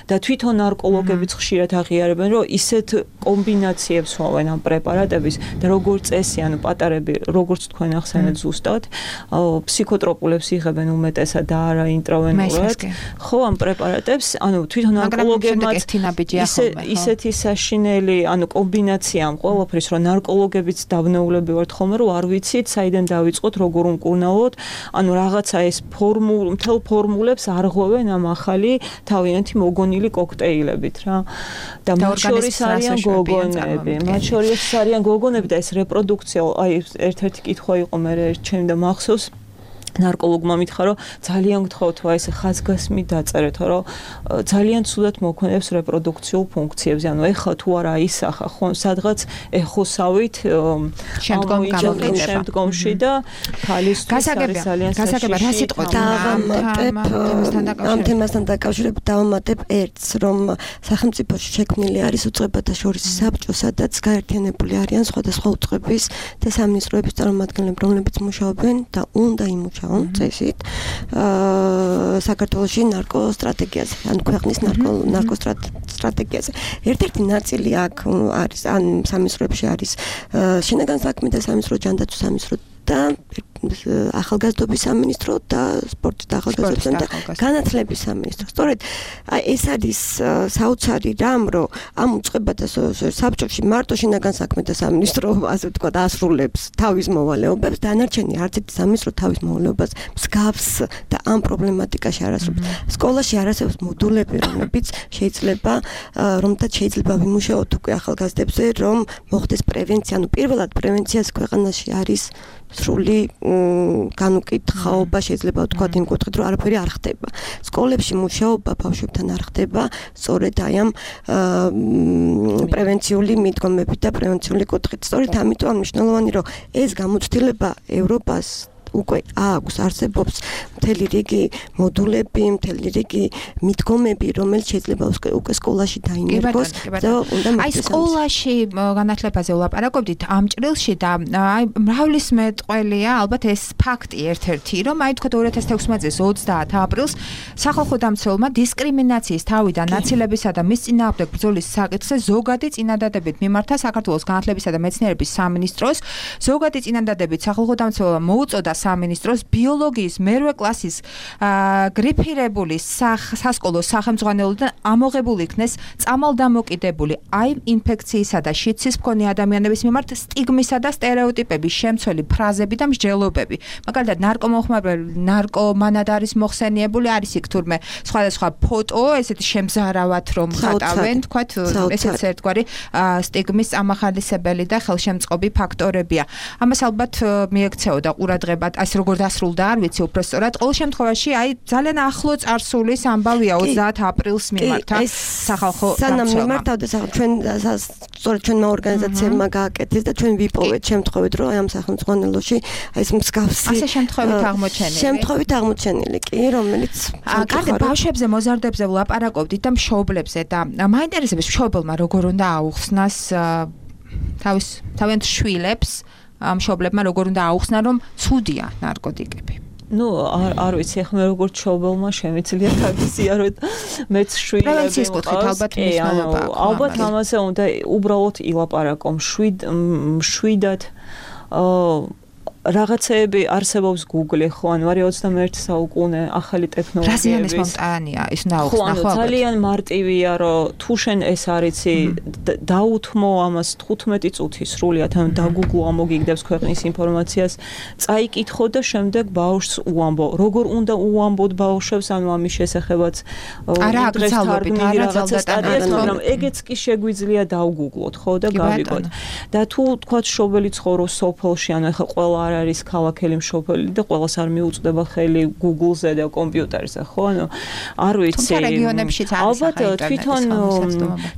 და თვითონ ნარკოლოგებიც ხშირად აღიარებენ, რომ ისეთ კომბინაციებს ვავენ ამ პრეპარატების და როგორც წესი, ანუ პატარები როგორც თქვენ ახსენეთ ზუსტად, ფსიქოტროპულებს იღებენ უმეტესად და არა ინტრავენულად. ხო, ამ პრეპარატებს, ანუ თვითონ ნარკოლოგებმაც ისეთი საშინელი, ანუ კომბინაცია ამ ყველაფრის, რომ ნარკოლოგებიც დაბნეულები ვართ ხოლმე, რომ არ ვიცით, საიდან დავიწყოთ, როგორ უმკურნალოთ, ანუ რაღაცა ეს ფორმულ, მთელ ფორმულებს არღვევენ ამ ახალი თავიანთი მოგონილი კოქტეილებით რა. და მათ შორის არიან გოგონები, მათ შორის არიან გოგონები და ეს რეპროდუქცია, აი ერთ-ერთი კითხვა იყო მე ჩემი და მახსოვს ნარკოლოგმა მითხრა, რომ ძალიან გთხოვთ, აი ეს ხაზგასმით დაწერეთ, რომ ძალიან ცუდად მოქმედებს რეპროდუქციულ ფუნქციებზე. ანუ ეხლა თუ არა ისახა, ხო, სადღაც ეხოსავით შემდგომში და ქალისთვის არის ძალიან გასაგებია რა სიტყვა ამ თემასთან დაკავშირებით დავამატებ ერთს, რომ სახელმწიფოში შექმნილი არის უწყებათა შორის საბჭო, სადაც გაერთიანებული არიან სხვადასხვა უწყების და სამინისტროების წარმომადგენლები, რომლებიც მუშაობენ და უნდა იმუშაონ წესით საქართველოში ნარკოსტრატეგიაზე, ანუ ქვეყნის ნარკოსტრატეგიაზე. ერთ-ერთი ნაწილი აქ არის, ან სამინისტროებში არის შინაგან საქმეთა სამინისტრო, ჯანდაცვის სამინისტრო და ახალგაზრდობის სამინისტრო და სპორტის და ახალგაზრდობისა და განათლების სამინისტრო. სწორედ ეს არის საოცარი რამ, რომ ამ უწყებათა საბჭოში მარტო შინაგან საქმეთა სამინისტრო, ასე ვთქვათ, ასრულებს თავის მოვალეობებს, დანარჩენი არც ერთი სამინისტრო თავის მოვალეობას მსგავს და ამ პრობლემატიკაში არ ასრულებს. სკოლაში არ არსებობს მოდულები, რომლებიც შეიძლება, რომთაც შეიძლება ვიმუშაოთ უკვე ახალგაზრდებზე, რომ მოხდეს პრევენცია, ანუ პირველად პრევენციას ქვეყანაში არის სრული განუკითხაობა, შეიძლება ვთქვათ იმ კუთხით, რომ არაფერი არ ხდება. სკოლებში მუშაობა ბავშვებთან არ ხდება, სწორედ აი ამ პრევენციული მიდგომებით და პრევენციული კუთხით. სწორედ ამიტომ მნიშვნელოვანი, რომ ეს გამოცდილება ევროპას უკვე აქვს, არსებობს მთელი რიგი მოდულები, მთელი რიგი მიდგომები, რომელიც შეიძლება უკვე სკოლაში დაინერგოს და უნდა აი სკოლაში განათლებაზე ვლაპარაკობდით ამ ჭრილში და აი მრავლისმეტყველია ალბათ ეს ფაქტი ერთ-ერთი, რომ აი თქვა ორი ათას თექვსმეტ წლის ოცდაათ აპრილს სახალხო დამცველმა დისკრიმინაციის თავიდან ნაცილებისა და მის წინააღმდეგ ბრძოლის საკითხზე ზოგადი წინადადებით მიმართა საქართველოს განათლებისა და მეცნიერების სამინისტროს. ზოგადი წინადადებით სახალხო დამცველმა მოუწოდა სამინისტროს ბიოლოგიის მერვე კლასის გრიფირებული სასკოლო სახელმძღვანელოდან ამოღებული იქნეს წამალდამოკიდებული აი ინფექციისა და შიდსის მქონე ადამიანების მიმართ სტიგმისა და სტერეოტიპების შემცველი ფრაზები და მსჯელობები. მაგალითად, ნარკომოხმარებელი ნარკომანად არის მოხსენიებული, არის იქ თურმე სხვადასხვა ფოტო, ესეთი შემზარავად რომ ხატავენ, თქვათ, ესეც ერთგვარი სტიგმის ამახალისებელი და ხელშემწყობი ფაქტორებია. ამას ალბათ მიექცეოდა ყურადღება, ასე როგორ დასრულდა, არ ვიცი უბრალოდ. ყოველ შემთხვევაში, აი ძალიან ახლო წარსულის ამბავია ოცდაათ აპრილს მიმართა სახალხო სანამ მიმართავდა ჩვენ სწორედ ჩვენმა ორგანიზაციებმა გააკეთეს და ჩვენ ვიპოვეთ შემთხვევით, რომ აი ამ სახელმძღვანელოში აი ეს მსგავსი ასე შემთხვევით აღმოჩენილი. შემთხვევით აღმოჩენილი კი, რომელიც კარგი ბავშვებზე, მოზარდებზე ვლაპარაკობდით და მშობლებზე და მაინტერესებს მშობელმა როგორ უნდა აუხსნას თავის თავიანთ შვილებს, მშობლებმა როგორ უნდა აუხსნან, რომ ცუდია ნარკოტიკები. ну არ არ ვიცი ახლა მე როგორც ჩობელმა შემიძლია თავისია რომ მეც შვილები პრევენციის კუთხით ალბათ მნიშვნელობა აქვს ალბათ ამაზე უნდა უბრალოდ ილაპარაკო შვიდ შვიდად რაღაცეები არსებობს Google ხო ან ვარი ოცდამეერთი საუკუნე ახალი ტექნოლოგიები რაზიანის მომტანია ის ნაუხსნა ხო ძალიან მარტივია რომ თუ შენ ეს არიცი დაუთმო ამას თხუთმეტი წუთი სრულიად ან დაგუგლო ამოგიგდებს ქვეყნის ინფორმაციას წაიკითხო და შემდეგ ბავშვს უამბო როგორ უნდა უამბოთ ბავშვებს ანუ ამის შესახებაც არა აგზალობით არა ზალდატანად მაგრამ ეგეც კი შეგვიძლია დავგუგლოთ ხო და გავიგოთ და თუ თქვა შობელი ცხოვრობს სოფელში ანუ ეხა ყველა არის ქალაქელი მშობელი და ყველას არ მიუწვდება ხელი Google-ზე და კომპიუტერზე, ხო? ანუ არ ვიცი. ალბათ თვითონ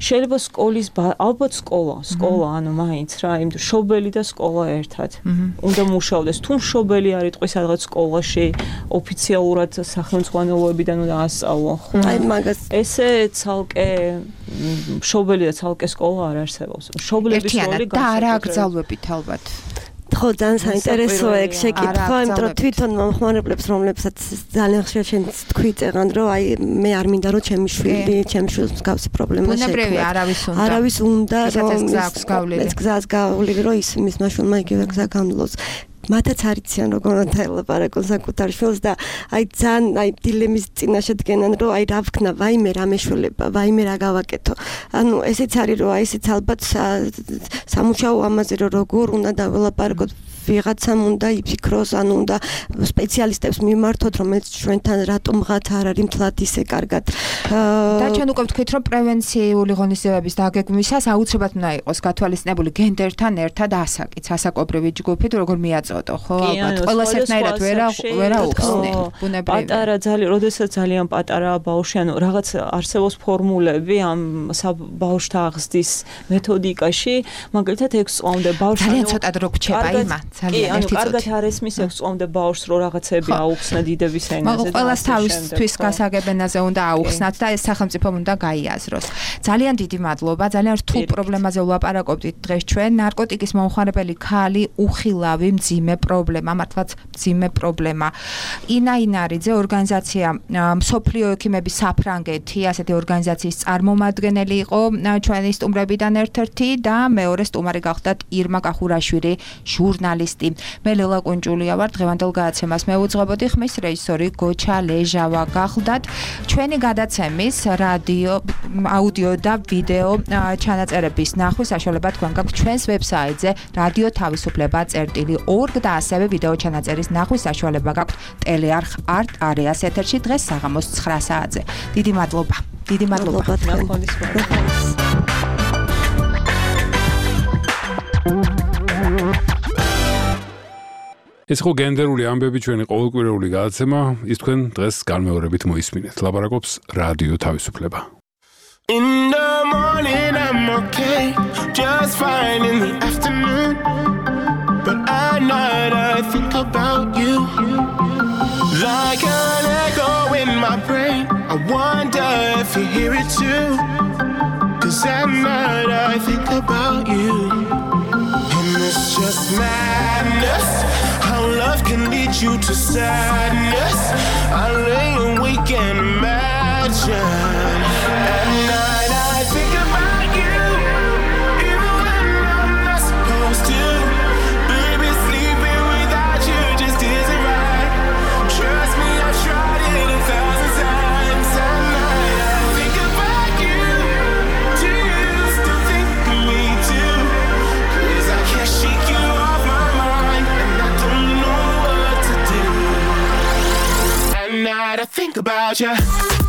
შეიძლება სკოლის ალბათ სკოლა, სკოლა, ანუ მაინც რა, იმიტომ მშობელი და სკოლა ერთად. უნდა მუშაობდეს. თუ მშობელი არ იტყვის რაღაც სკოლაში ოფიციალურად სახელმძღვანელოებიდან უნდა ასწავლონ, ხო? აი მაგას ესე ცალკე მშობელი და ცალკე სკოლა არ არსებობს. მშობლების როლი და არა აკრძალვებით ალბათ. ხო ძალიან საინტერესოა ეგ შეკითხვა, იმიტომ რომ თვითონ მომხმარებლებს რომლებსაც ძალიან ხშირად შენ თქვი წეღან რომ აი მე არ მინდა რომ ჩემი შვილი, ჩემი შვილს მსგავსი პრობლემა შეექმნა. ბუნებრივი არავის უნდა. არავის უნდა რომ ეს გზას გავლილი რომ ის მის მაშულმა იგივე გზა გამლოს. მათაც არ იციან როგორ უნდა ელაპარაკონ საკუთარ შვილს და აი ძალიან აი დილემის წინაშე დგენან რომ აი რა ვქნა ვაიმე რა მეშველება ვაიმე რა გავაკეთო ანუ ესეც არის რომ აი ესეც ალბათ სამუშაო ამაზე რომ როგორ უნდა დაველაპარაკოთ ვიღაცამ უნდა იფიქროს ანუ უნდა სპეციალისტებს მიმართოთ რომელიც ჩვენთან რატომღაც არ არის მთლად ისე კარგად და ჩვენ უკვე ვთქვით რომ პრევენციული ღონისძიებების დაგეგმვისას აუცილებლად უნდა იყოს გათვალისწინებული გენდერთან ერთად ასაკიც ასაკობრივი ჯგუფი თუ როგორ მიაწოდო ხო ალბათ ყველას ერთნაირად ვერა ვერა უხსნე ბუნებრივი პატარა ძალიან როდესაც ძალიან პატარა ბავშვი ანუ რაღაც არსებობს ფორმულები ამ ბავშვთა აღზრდის მეთოდიკაში მაგალითად ექვს წლამდე ბავშვი ძალიან ცოტა დრო გრჩება იმა ძალიან ანუ კარგად არ ესმის ექვს წლამდე ბავშვს რო რაღაცები აუხსნა დიდების ენაზე და ყველას თავისთვის გასაგებენაზე უნდა აუხსნათ და ეს სახელმწიფომ უნდა გაიაზროს ძალიან დიდი მადლობა ძალიან რთულ პრობლემაზე ვლაპარაკობდით დღეს ჩვენ ნარკოტიკის მომხმარებელი ქალი უხილავი მძიმე პრობლემა მართლაც მძიმე პრობლემა ინა ინარიძე ორგანიზაცია მსოფლიო ექიმების საფრანგეთი ასეთი ორგანიზაციის წარმომადგენელი იყო ჩვენი სტუმრებიდან ერთ-ერთი და მეორე სტუმარი გახდათ ირმა კახურაშვილი ჟურნალისტი მე ლელა კუნჭულია ვარ დღევანდელ გადაცემას მეუძღვებოდი ხმის რეჟისორი გოჩა ლეჟავა გახლდათ ჩვენი გადაცემის რადიო აუდიო და ვიდეო ჩანაწერების ნახვის საშუალება თქვენ გაქვთ ჩვენს ვებსაიტზე რადიო თავისუფლება წერტილი ორგ და ასევე ვიდეო ჩანაწერის ნახვის საშუალება გაქვთ ტელეარხ არტ არეას ეთერში დღეს საღამოს ცხრა საათზე დიდი მადლობა დიდი მადლობა ეს ხო გენდერული ამბები ჩვენი ყოველკვირეული გადაცემა ის თქვენ დღეს განმეორებით მოისმინეთ ლაპარაკობს რადიო თავისუფლება In the morning I'm okay just fine in the afternoon but at night I think about you like an echo in my brain I wonder if you hear it too cause at night I think about you and it's just madness how love can lead you to sadness I lay awake and imagine at night I think about you even when I'm not supposed to baby sleeping without you just isn't night I think about you.